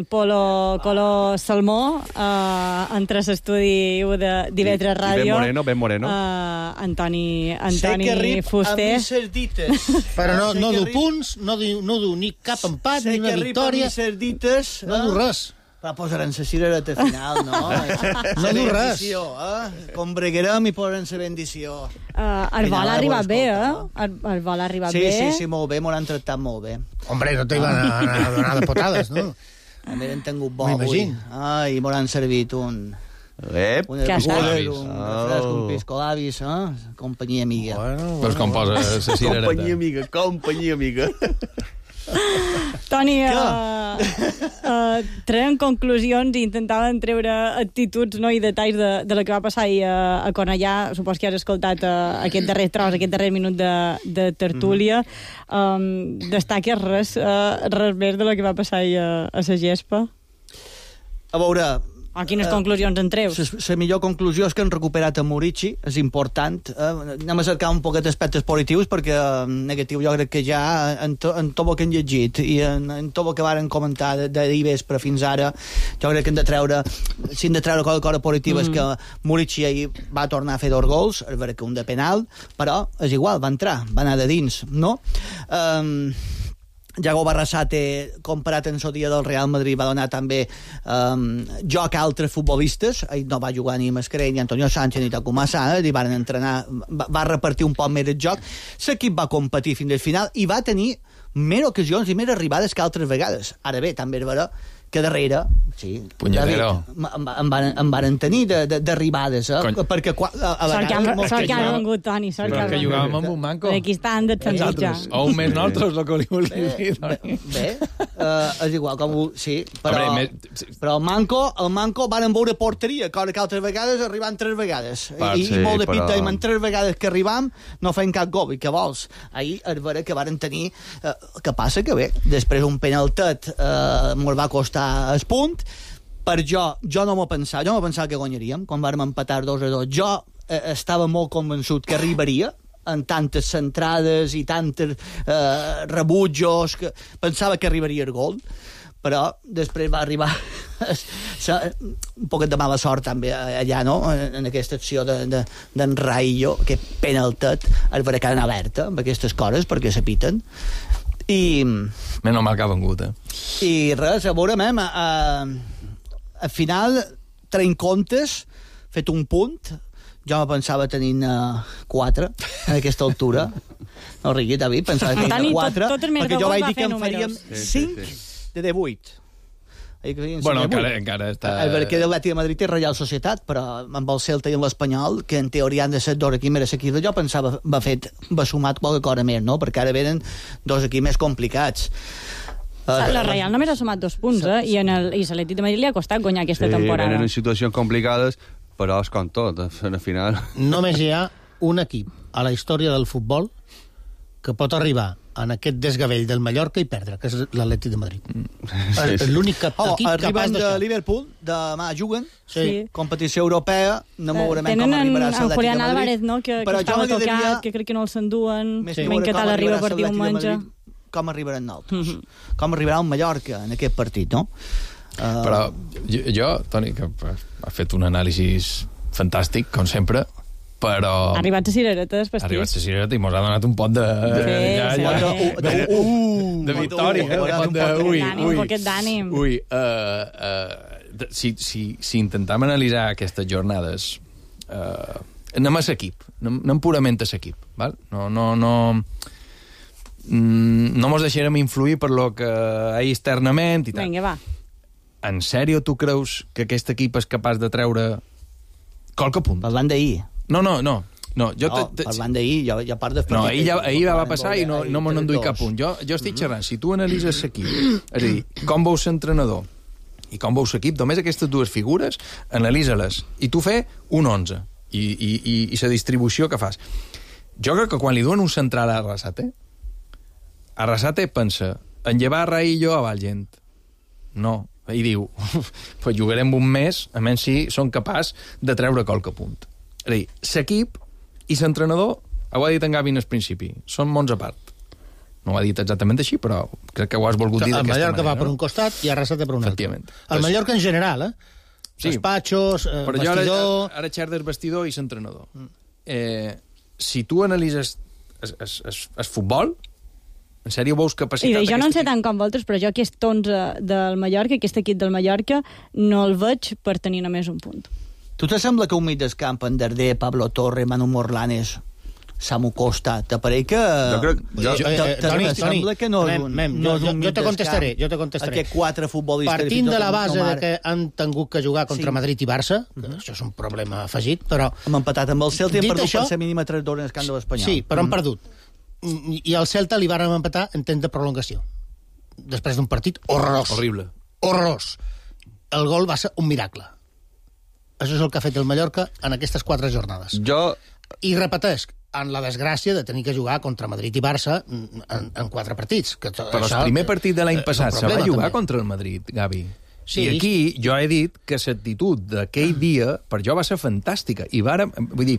polo color salmó, eh, entre l'estudi de d'Ivetres Ràdio. Ben moreno, ben moreno. Eh, Antoni, Antoni sé que rip Fuster. amb misses dites. Però no, Sé no que du rip- punts, no du, no du ni cap empat, sé ni una que rip amb victòria. misses dites. No du res. Va posar en la cirereta final, no? No du res. Bendició, eh? Com breguerem i posen la bendició. Uh, el vol ha arribat bé, eh? El, el vol ha arribat Sí, bé. sí, sí, molt bé, m'ho han tractat molt bé. Hombre, no te iban a, a donar de potades, no? A mi hem tingut bo avui. M'imagino. Ai, m'ho han servit un... Ep, Un hercúler, un refresc, un piscolabis, eh? Companyia amiga. Bueno, Pues com posa la cirereta. companyia amiga, companyia amiga. Toni, uh, uh, treien conclusions i intentaven treure actituds, no, i detalls de, de la que va passar ahir a, a Cornellà. Supos que has escoltat uh, aquest darrer tros, aquest darrer minut de, de tertúlia. Um, destaques res, uh, res més de la que va passar ahir a, a la gespa? A veure, O quines uh, conclusions en treus? La millor conclusió és que han recuperat a Murici, és important. Eh? Anem a cercar un poquet d'aspectes positius, perquè eh, negatiu jo crec que ja en, to, en tot el que han llegit i en, en tot el que varen comentar d'ahir vespre fins ara, jo crec que hem de treure, si hem de treure cosa, cosa positiva mm. és que Murici ahir va tornar a fer dos gols, és vera que un de penal, però és igual, va entrar, va anar de dins, no? Um, Yago Barrasate, comparat en el dia del Real Madrid, va donar també um, joc a altres futbolistes. Ell no va jugar ni Mascarell, ni Antonio Sánchez, ni Takuma Sana, i van entrenar, va, va repartir un poc més el joc. L'equip va competir fins al final i va tenir més ocasions i més arribades que altres vegades. Ara bé, també és vera que darrere, sí, Punyetero. em, em, van, em van tenir d'arribades, eh? Cony. Perquè qua, a, a Sort que vegades... han, sort que han vengut, Toni, sort que han que vengut. jugàvem amb un manco. Aquí estan de transitjar. O un més nosaltres, el que li volia dir. Bé, bé uh, és igual, com ho, sí, però, Hombre, me... però el Manco, el Manco van veure porteria, cosa que altres vegades arribant tres vegades. Part, I, sí, i molt de però... pita, i en tres vegades que arribam no feim cap gol, i què vols? Ahir és vera que varen tenir... Uh, que passa que bé, després un penaltet uh, mos va costar el punt. Per jo, jo no m'ho pensava, jo no m'ho pensava que guanyaríem quan vàrem empatar dos a dos. Jo eh, estava molt convençut que arribaria en tantes centrades i tantes eh, rebutjos, que pensava que arribaria el gol, però després va arribar un poquet de mala sort també allà, no?, en aquesta acció d'en de, de, Raillo, que penaltet, es veurà que han alerta amb aquestes coses perquè s'apiten. I... Menys mal que ha vengut, eh? I res, a veure, mem, a, al final, traient comptes, fet un punt, jo me pensava tenint uh, quatre en aquesta altura. No rigui, David, pensava que tenia quatre, tot, tot perquè jo vaig dir que en faríem cinc sí, sí, sí. de divuit. Bueno, encara, encara està... El perquè l'Atlètic de Madrid és Reial Societat, però amb el Celta i l'Espanyol, que en teoria han de ser dos equips més equips, jo pensava va fet, va sumat qualque cosa més, no? Perquè ara venen dos equips més complicats. La Reial només ha sumat dos punts, eh? I, en el, i l'Atlètic de Madrid li ha costat guanyar aquesta sí, temporada. Sí, venen en situacions complicades, però és com tot, al final... Només hi ha un equip a la història del futbol que pot arribar en aquest desgavell del Mallorca i perdre, que és l'Atlètic de Madrid. Sí, sí. L'únic equip oh, capaç de Liverpool, demà juguen, sí. competició europea, no m'ho veurem com arribarà l'Atlètic de Madrid. Tenen en Julián Álvarez, no?, que, que estava tocat, diria... que crec que no el s'enduen, sí. que tal arriba per diumenge. Com arribaran nosaltres, mm -hmm. com arribarà un Mallorca en aquest partit, no? Uh... Però jo, jo, Toni, que ha fet un anàlisi fantàstic, com sempre, però... Ha arribat a cireretes, pastís. Ha arribat a cireretes i mos ha donat un pot de... Sí, ja, sí. Ja, De, de, de, de victòria, eh? Un pot de... Ui, un poquet d'ànim. Ui, uh, uh, si, si, si intentem analitzar aquestes jornades, uh, anem a l'equip, anem, anem purament a l'equip, val? No, no, no... no mos deixarem influir per lo que hi externament i tal. Vinga, va. En sèrio tu creus que aquest equip és capaç de treure qualque punt? Parlant d'ahir. No, no, no. No, jo no te... parlant d'ahir, jo, jo part de... No, ahir, ja, ahir va passar i no, no me n'enduï cap punt. Jo, jo estic xerrant, si tu analitzes l'equip, és a dir, com veus l'entrenador i com veus l'equip, només aquestes dues figures, analisa-les, i tu fe un onze, i, i, i, i la distribució que fas. Jo crec que quan li duen un central a Arrasate, Arrasate pensa en llevar Raillo a Valgent. No. I diu, pues jugarem un mes, a menys si són capaç de treure qualque punt. És a dir, l'equip i l'entrenador, ho ha dit en Gavi al principi, són mons a part. No ho ha dit exactament així, però crec que ho has volgut dir d'aquesta manera. El Mallorca va per un costat i Arrasate per un altre. Efectivament. El Mallorca en general, eh? Sí. Despatxos, eh, però vestidor... Ara, ara xerdes vestidor i l'entrenador. Eh, si tu analitzes el futbol, en sèrio veus capacitat... I jo no en sé tant com vosaltres, però jo aquest onze del Mallorca, aquest equip del Mallorca, no el veig per tenir només un punt. Tu te sembla que un mig del camp, en Darder, Pablo Torre, Manu Morlanes, Samu Costa, t'apareix que... Jo crec... Jo, eh, eh, Toni, Toni, que no és un, mem, no jo, és un jo te contestaré, jo te contestaré. Aquests quatre futbolistes... Partint de la base de que han tingut que jugar contra Sí. Madrid i Barça, que Mhm. això és un problema afegit, però... Hem empatat amb el Celta i hem Dit perdut això- per ser mínima tres dos en el camp de l'Espanyol. Sí, però han Mhm. perdut. I al Celta li varen empatar en temps de prolongació. Després d'un partit horrorós. Horrible. Horrorós. El gol va ser un miracle. Això és el que ha fet el Mallorca en aquestes quatre jornades. Jo... I repetesc, en la desgràcia de tenir que jugar contra Madrid i Barça en, en quatre partits. Que Però el primer partit de l'any passat se va jugar contra el Madrid, Gavi. Sí, I aquí jo he dit que l'actitud d'aquell dia per jo va ser fantàstica. I vàrem, vull dir,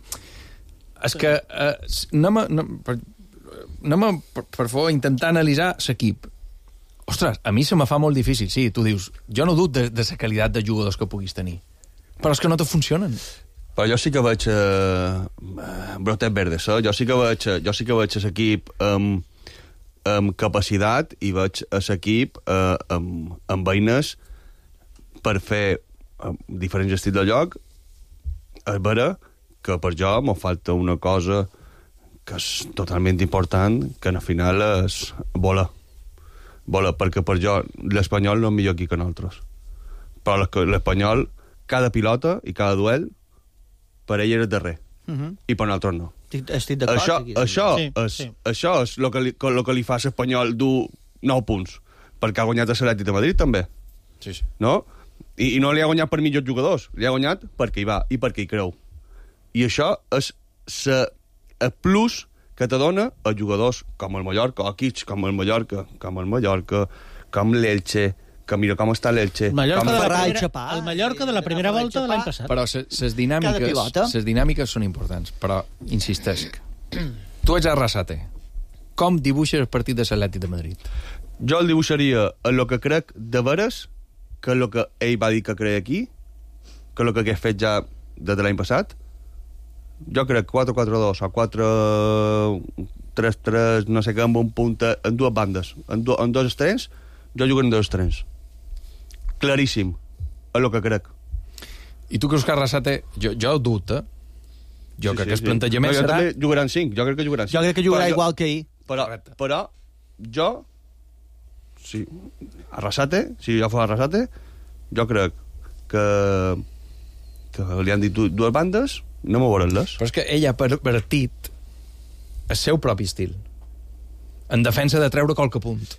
és que eh, anem a, anem, per, anem a, per, per favor, intentar analitzar l'equip. Ostres, a mi se me fa molt difícil, sí, tu dius, jo no dubto de, de la qualitat de jugadors que puguis tenir, però és que no te funcionen. Però jo sí que veig eh, brotet verdes, eh? jo sí que veig, jo sí que veig l'equip amb, amb capacitat i veig l'equip eh, amb, amb eines per fer eh, diferents estils de joc. És vera que per jo m'ho falta una cosa que és totalment important, que al final és volar. Volar, perquè per jo l'Espanyol no és millor aquí que nosaltres. Però l'Espanyol, cada pilota i cada duel, per ell era darrer. Uh -huh. I per nosaltres no. Estic, estic d'acord. Això, aquí, això, sí, és, sí. això és el que li, el que li fa a l'Espanyol dur nou punts. Perquè ha guanyat a l'Atlètic de Madrid, també. Sí, sí. No? I, I no li ha guanyat per millors jugadors. Li ha guanyat perquè hi va i perquè hi creu. I això és sa, el plus que te dona a jugadors com el Mallorca, o equips com el Mallorca, com el Mallorca, com l'Elche, que mira com està l'Elche. El Mallorca, com de la Ferrari, primera, Chapà, el Mallorca de la primera volta de l'any passat. Però les dinàmiques, les dinàmiques són importants, però insistesc. Tu ets Arrasate. Com dibuixes el partit de l'Atlètic de Madrid? Jo el dibuixaria en el que crec de veres, que és el que ell va dir que creia aquí, que és el que hagués fet ja des de l'any passat. Jo crec quatre quatre dos o quatre tres tres, no sé què, amb un punt en dues bandes, en, du en dos extrems, jo jugaré en dos extrems. Claríssim, és el que crec. I tu creus que Arrasate... Jo, jo dubte. Jo sí, crec sí, que el sí. plantejament no, jo serà... també jugaran cinc, jo crec que jugaran cinc. Jo crec que jugarà però igual jo, que ahir. Però, però jo, sí, Arrasate, si jo fos Arrasate, jo crec que, que li han dit dues bandes, no m'ho veurem-les. Però és que ell ha pervertit el seu propi estil en defensa de treure qualque punt.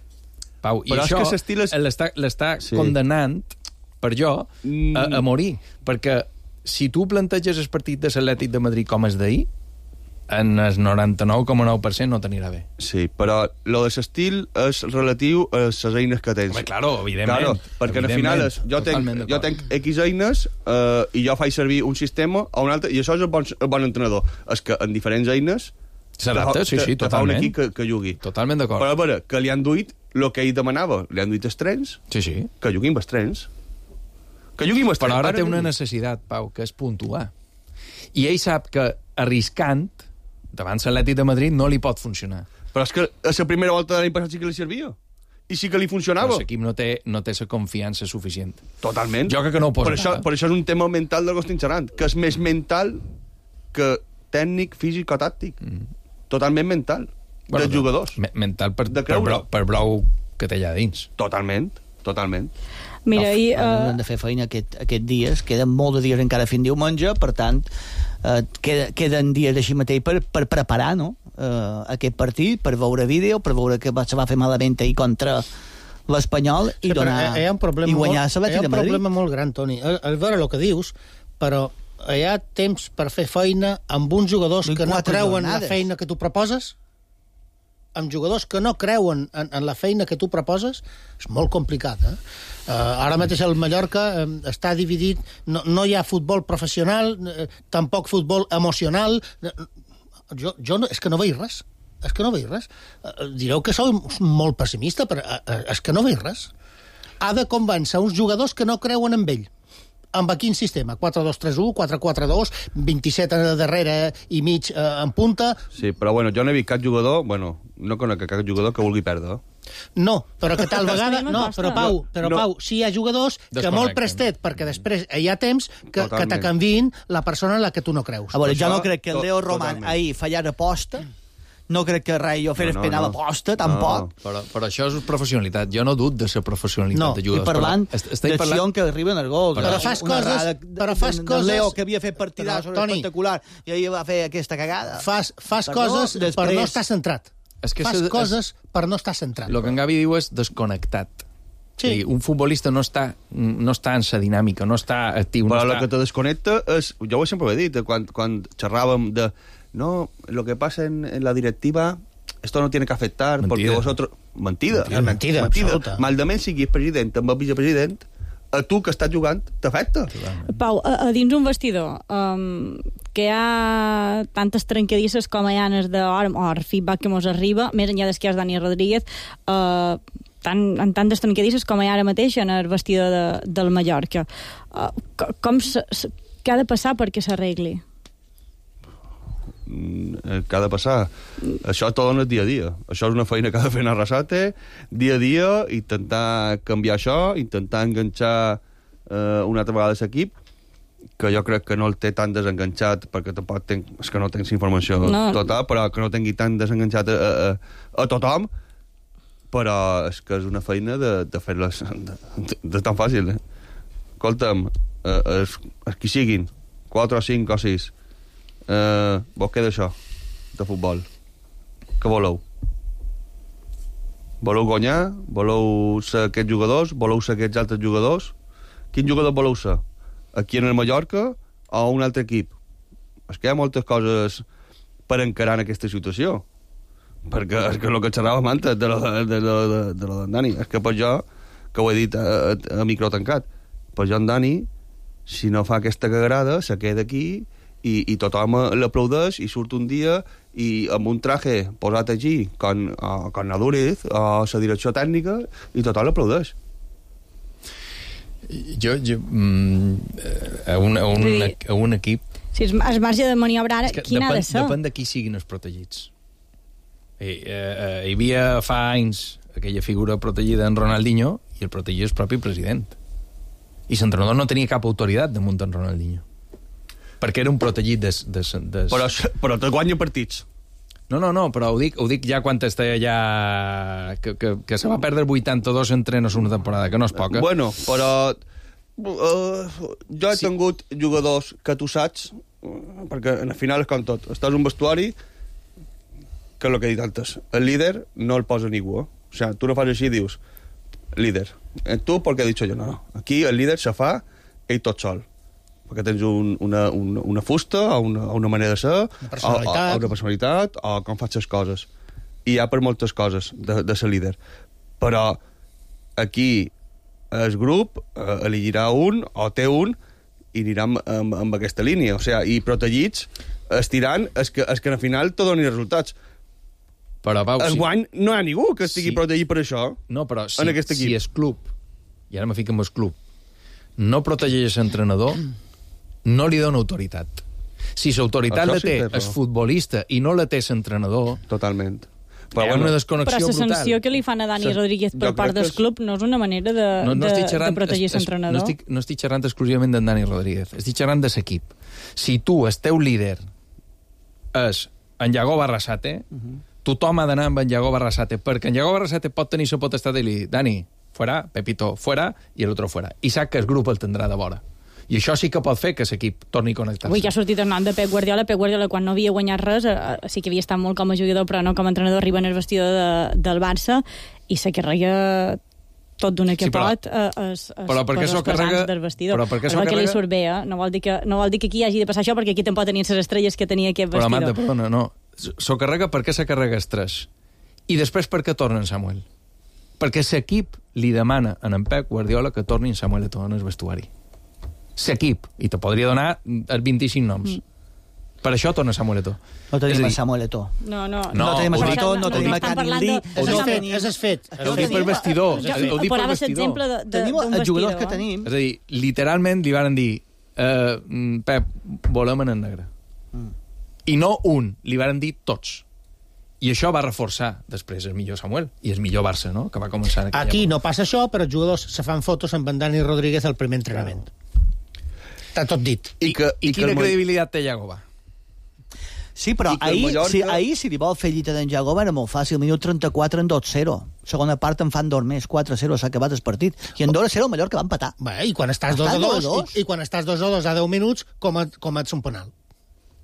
Pau, i però això és que és... l'està sí. condemnant, per jo, mm. a, a morir. Perquè si tu planteges el partit de l'Atlètic de Madrid com és d'ahir, en el noranta-nou coma nou per cent no t'anirà bé. Sí, però lo de l'estil és relatiu a les eines que tens. Home, claro, evidentment. Claro, perquè al final és, jo, tenc, jo tenc X eines eh, i jo faig servir un sistema o un altre, i això és el bon, el bon entrenador. És que en diferents eines s'adapta, sí, sí, te, te fa un equip que, que jugui. Totalment d'acord. Però a veure, que li han duit el que ell demanava. Li han duit els trens, sí, sí. que juguin els trens. Que juguin els trens. Però ara té una necessitat, Pau, que és puntuar. I ell sap que arriscant davant l'Atlètic de Madrid no li pot funcionar. Però és que a la primera volta de l'any passat sí que li servia. I sí que li funcionava. Però l'equip no té, no té la confiança suficient. Totalment. Jo crec que no ho posa. Per això, per això és un tema mental del que estic xerrant, que és més mental que tècnic, físic o tàctic. Mm. Totalment mental. Bueno, dels jugadors. Me mental per, per, brou, per brou que té allà dins. Totalment, totalment. Mira, i... Uh... Hem de fer feina aquest, aquest dies, queden molt de dies encara fins diumenge, per tant, uh, queda, queden dies així mateix per, per preparar, no?, uh, aquest partit, per veure vídeo, per veure que se va fer malament ahir contra l'Espanyol i, sí, donar, hi ha un problema i guanyar molt, l'Atlètic de Madrid. Hi ha un problema molt gran, Toni. És veure el que dius, però hi ha temps per fer feina amb uns jugadors que no creuen en la feina que tu proposes, amb jugadors que no creuen en, en la feina que tu proposes, és molt complicat, eh? Uh, ara mateix el Mallorca uh, està dividit, no, no hi ha futbol professional, uh, tampoc futbol emocional. Uh, jo, jo no, és que no veig res. És que no veig res. Uh, direu que sou molt pessimista, però uh, uh, és que no veig res. Ha de convèncer uns jugadors que no creuen en ell. Amb quin sistema? quatre dos tres u, quatre quatre dos, vint-i-set a darrere i mig eh, en punta... Sí, però bueno, jo no he vist cap jugador, bueno, no conec cap jugador que vulgui perdre. No, però que tal vegada... No, però Pau, però no. Pau, sí hi ha jugadors que molt prestet, perquè després hi ha temps que, que te canviïn la persona en la que tu no creus. A veure, jo no crec que el Leo Roman ahir fallara aposta, no crec que Rayo fes no, no, penal no. aposta, tampoc. No, però, però això és professionalitat. Jo no dut de la professionalitat no, de jugadors. No, i parlant de parlant... Sion que arriben al gol. Però, però fas coses... De, però fas coses... Leo, que havia fet partidars espectacular, i ahir va fer aquesta cagada. Fas, fas coses després... per no estar centrat. És que fas se, coses és... per no estar centrat. El que en Gavi diu és desconnectat. Sí. Un futbolista no està, no està en sa dinàmica, no està actiu. Però no el està... que te desconnecta és... Jo ho sempre ho he dit, quan, quan xerràvem de... No, lo que pasa en, en la directiva... Esto no tiene que afectar, mentida. Porque vosotros... Mentida. Mentida, mentida, mentida. absoluta. Maldament sigui president amb el vicepresident, a tu que estàs jugant t'afecta. Pau, a, a dins un vestidor um, que hi ha tantes trencadisses com hi ha en de or, or feedback que mos arriba, més enllà des que hi ha Dani Rodríguez, uh, tant, en tantes trencadisses com hi ha ara mateix en el vestidor de, del Mallorca. Uh, com se, se, què ha de passar perquè s'arregli? Que ha de passar. Això tot en el dia a dia. Això és una feina que ha de fer Arrasate, dia a dia, intentar canviar això, intentar enganxar eh, una altra vegada l'equip, que jo crec que no el té tan desenganxat, perquè tampoc tenc, és que no tens informació no. total, però que no tingui tan desenganxat a, a, a tothom, però és que és una feina de, de fer-les de, de, de tan fàcil, eh? Escolta'm, eh, es, es qui siguin, quatre o cinc o sis, Uh, vos què d'això de futbol? Què voleu? Voleu guanyar? Voleu ser aquests jugadors? Voleu ser aquests altres jugadors? Quin jugador voleu ser? Aquí en el Mallorca o un altre equip? És que hi ha moltes coses per encarar en aquesta situació, perquè és que el que xerrava antes de lo de, de, de, de, de, de Dani, és que per jo, que ho he dit a, a, a micro tancat, per jo en Dani, si no fa aquesta cagarada, se queda aquí i, i tothom l'aplaudeix i surt un dia i amb un traje posat allí con, uh, con Nadúrez a la direcció tècnica i tothom l'aplaudeix. Jo, jo mm, a, un, a, un, a un equip... Si és, és marge de maniobra ara, quin depèn, ha de ser? Depèn de qui siguin els protegits. Eh, eh, hi havia fa anys aquella figura protegida en Ronaldinho i el protegit és el propi president. I l'entrenador no tenia cap autoritat damunt en Ronaldinho. Perquè era un protegit des... des, des... Però, però te guanya partits. No, no, no, però ho dic, ho dic ja quan està ja... Que, que, que se va perdre vuitanta-dos entrenos una temporada, que no és poca. Bueno, però... Uh, jo he sí. tingut jugadors que tu saps, perquè al final és com tot. Estàs en un vestuari, que és el que he dit antes. El líder no el posa ningú. Eh? O sea, tu no fas així i dius, líder. Tu, perquè he dit jo, no, no. Aquí el líder se fa ell tot sol. Perquè tens un, una, una, una fusta o una, una manera de ser, una personalitat. O, o, una personalitat, o com faig les coses. I hi ha per moltes coses de, de ser líder. Però aquí el grup eh, elegirà un, o té un, i anirà amb, amb, amb aquesta línia. O sigui, i protegits, estirant, és que, és que al final te donin resultats. Però, Pau, el si... guany no hi ha ningú que estigui sí. protegit per això. No, però si, en aquest equip. Si és club, i ara me fico amb el club, no protegeix l'entrenador, no li dona autoritat. Si l'autoritat la té el futbolista i no la té l'entrenador... Totalment. Però, hi ha una desconnexió però la brutal. sanció que li fan a Dani sí. Rodríguez per part del club no és una manera de, no, no de, xerrant, de protegir l'entrenador. No estic, no estic xerrant exclusivament d'en Dani Rodríguez, estic xerrant de l'equip. Si tu, el teu líder, és en Iago Barrasate, uh -huh. tothom ha d'anar amb en Iago Barrasate, perquè en Iago Barrasate pot tenir la potestat de dir, Dani, fuera, Pepito, fuera, i l'altre fuera. I sap que el grup el tindrà de vora. I això sí que pot fer que l'equip torni a connectar-se. Avui ja ha sortit el nom de Pep Guardiola. Pep Guardiola, quan no havia guanyat res, eh, sí que havia estat molt com a jugador, però no com a entrenador, arriba en el vestidor de, del Barça i se carrega tot d'una que sí, però, pot eh, es, es però perquè s'ho carrega del vestidor. Però perquè s'ho carrega... que li surt bé, eh? No vol, dir que, no vol dir que aquí hagi de passar això, perquè aquí tampoc tenien les estrelles que tenia aquest vestidor. Però, Amanda, perdona, no. S'ho carrega perquè se carrega estrès. I després perquè torna en Samuel. Perquè l'equip li demana a en Pep Guardiola que torni en Samuel Eto'o en el vestuari. L'equip, i te podria donar els vint-i-cinc noms. Mm. Per això torna Samuel Eto'o. No tenim a Samuel Eto'o. No, no. No, no tenim a Samuel Eto'o, no, no tenim a Canilí. És es fet. Ho dic per vestidor. Ho dic per vestidor. Tenim els jugadors que tenim. És a dir, literalment li van dir uh, Pep, volem en negre. Mm. I no un, li van dir tots. I això va reforçar després el millor Samuel i el millor Barça, no?, que va començar en aquí època. No passa això, però els jugadors se fan fotos amb en Dani Rodríguez al primer entrenament. Està tot dit. I, que, i, I quina que credibilitat té Iagoba? Sí, però ahir, Mallorca... si, ahir si li vol fer llita d'en Iagoba era molt fàcil. Minut trenta-quatre en dos zero. Segona part en fan dos més, quatre zero, s'ha acabat el partit. I en dos zero el Mallorca va empatar. Bé, i quan estàs dos a dos, i, i quan estàs dos a dos a deu minuts, com et, com ets un penal.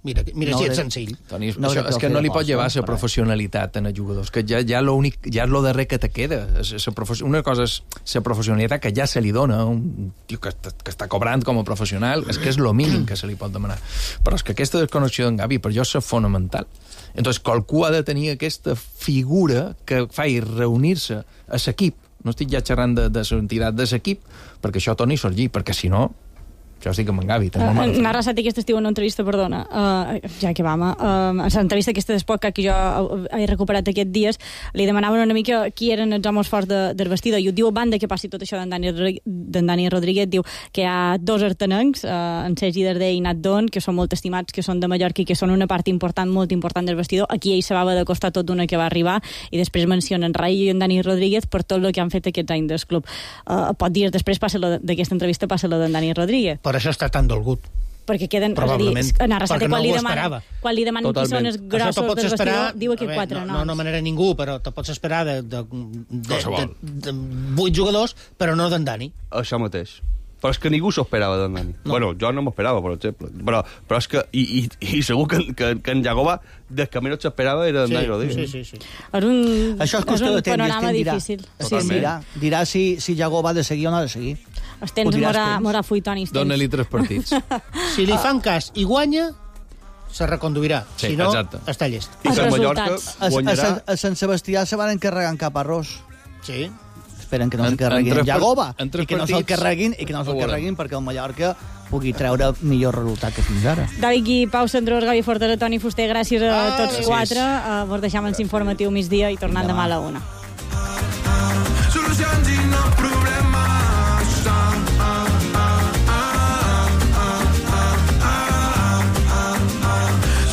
Mira, mira no, si és senzill. Toni, no, això, és que no li pot llevar la professionalitat en els jugadors, que ja, ja, l'únic, ja és lo darrer que te queda. Una cosa és la professionalitat que ja se li dona a un tio que, que està cobrant com a professional, és que és lo mínim que se li pot demanar. Però és que aquesta desconnexió d'en Gavi per jo és fonamental. Entonces, qualcú ha de tenir aquesta figura que faci reunir-se a l'equip No estic ja xerrant de, de l'entitat de l'equip, perquè això torni a sorgir, perquè si no, això sí que m'engavi. Uh, Narra Sati aquest estiu en una entrevista, perdona, uh, ja que vam, uh, en l'entrevista aquesta d'Espot que jo he recuperat aquests dies, li demanaven una mica qui eren els homes forts de, del vestidor, i ho diu a banda que passi tot això d'en Dani, Dani Rodríguez, diu que hi ha dos artenencs, uh, en Sergi Darder i Nat Don, que són molt estimats, que són de Mallorca i que són una part important, molt important del vestidor. Aquí ell se va haver de costar tot d'una que va arribar, i després mencionen Rai i en Dani Rodríguez per tot el que han fet aquests anys del club. Uh, pot dir, després passa d'aquesta entrevista passa la d'en Dani Rodríguez. Per això està tan dolgut. Perquè queden, és a dir, en Arrasate, quan, no demana, quan li demanen qui són els grossos del vestidor, diu que quatre noms. No, no manera ningú, però te pots esperar de, de, de, de, de vuit jugadors, però no d'en Dani. Això mateix. Però és que ningú s'ho esperava d'en Dani. No. Bueno, jo no m'ho esperava, per exemple. Però, però és que, i, i, i segur que, que, que en Jagoba, des que menys s'esperava era en sí, Dani Rodríguez. Sí, sí, sí. És un, això és, és un de panorama dirà. difícil. Sí, dirà, dirà si, si Jagoba ha de seguir o no ha de seguir. Els tens Morà Fuitoni. Dóna-li tres partits. Si li fan cas i guanya, se reconduirà. Sí, si no, exacte. està llest. I que Mallorca guanyarà... A, a, a Sant Sebastià se van encarregar en cap arròs. Sí. Esperen que no se'l carreguin Jagoba i que no se'l carreguin, i que no se'l carreguin perquè el Mallorca pugui treure millor resultat que fins ara. David Gui, Pau Sandrós, Gavi Fortera, Toni Fuster, gràcies a ah, tots gràcies. quatre. Uh, vos deixam en informatiu migdia i tornant demà a la una. Solucions i no problemes.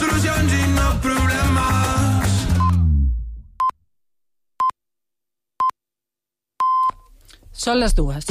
Solucions i no problemes. Són les dues.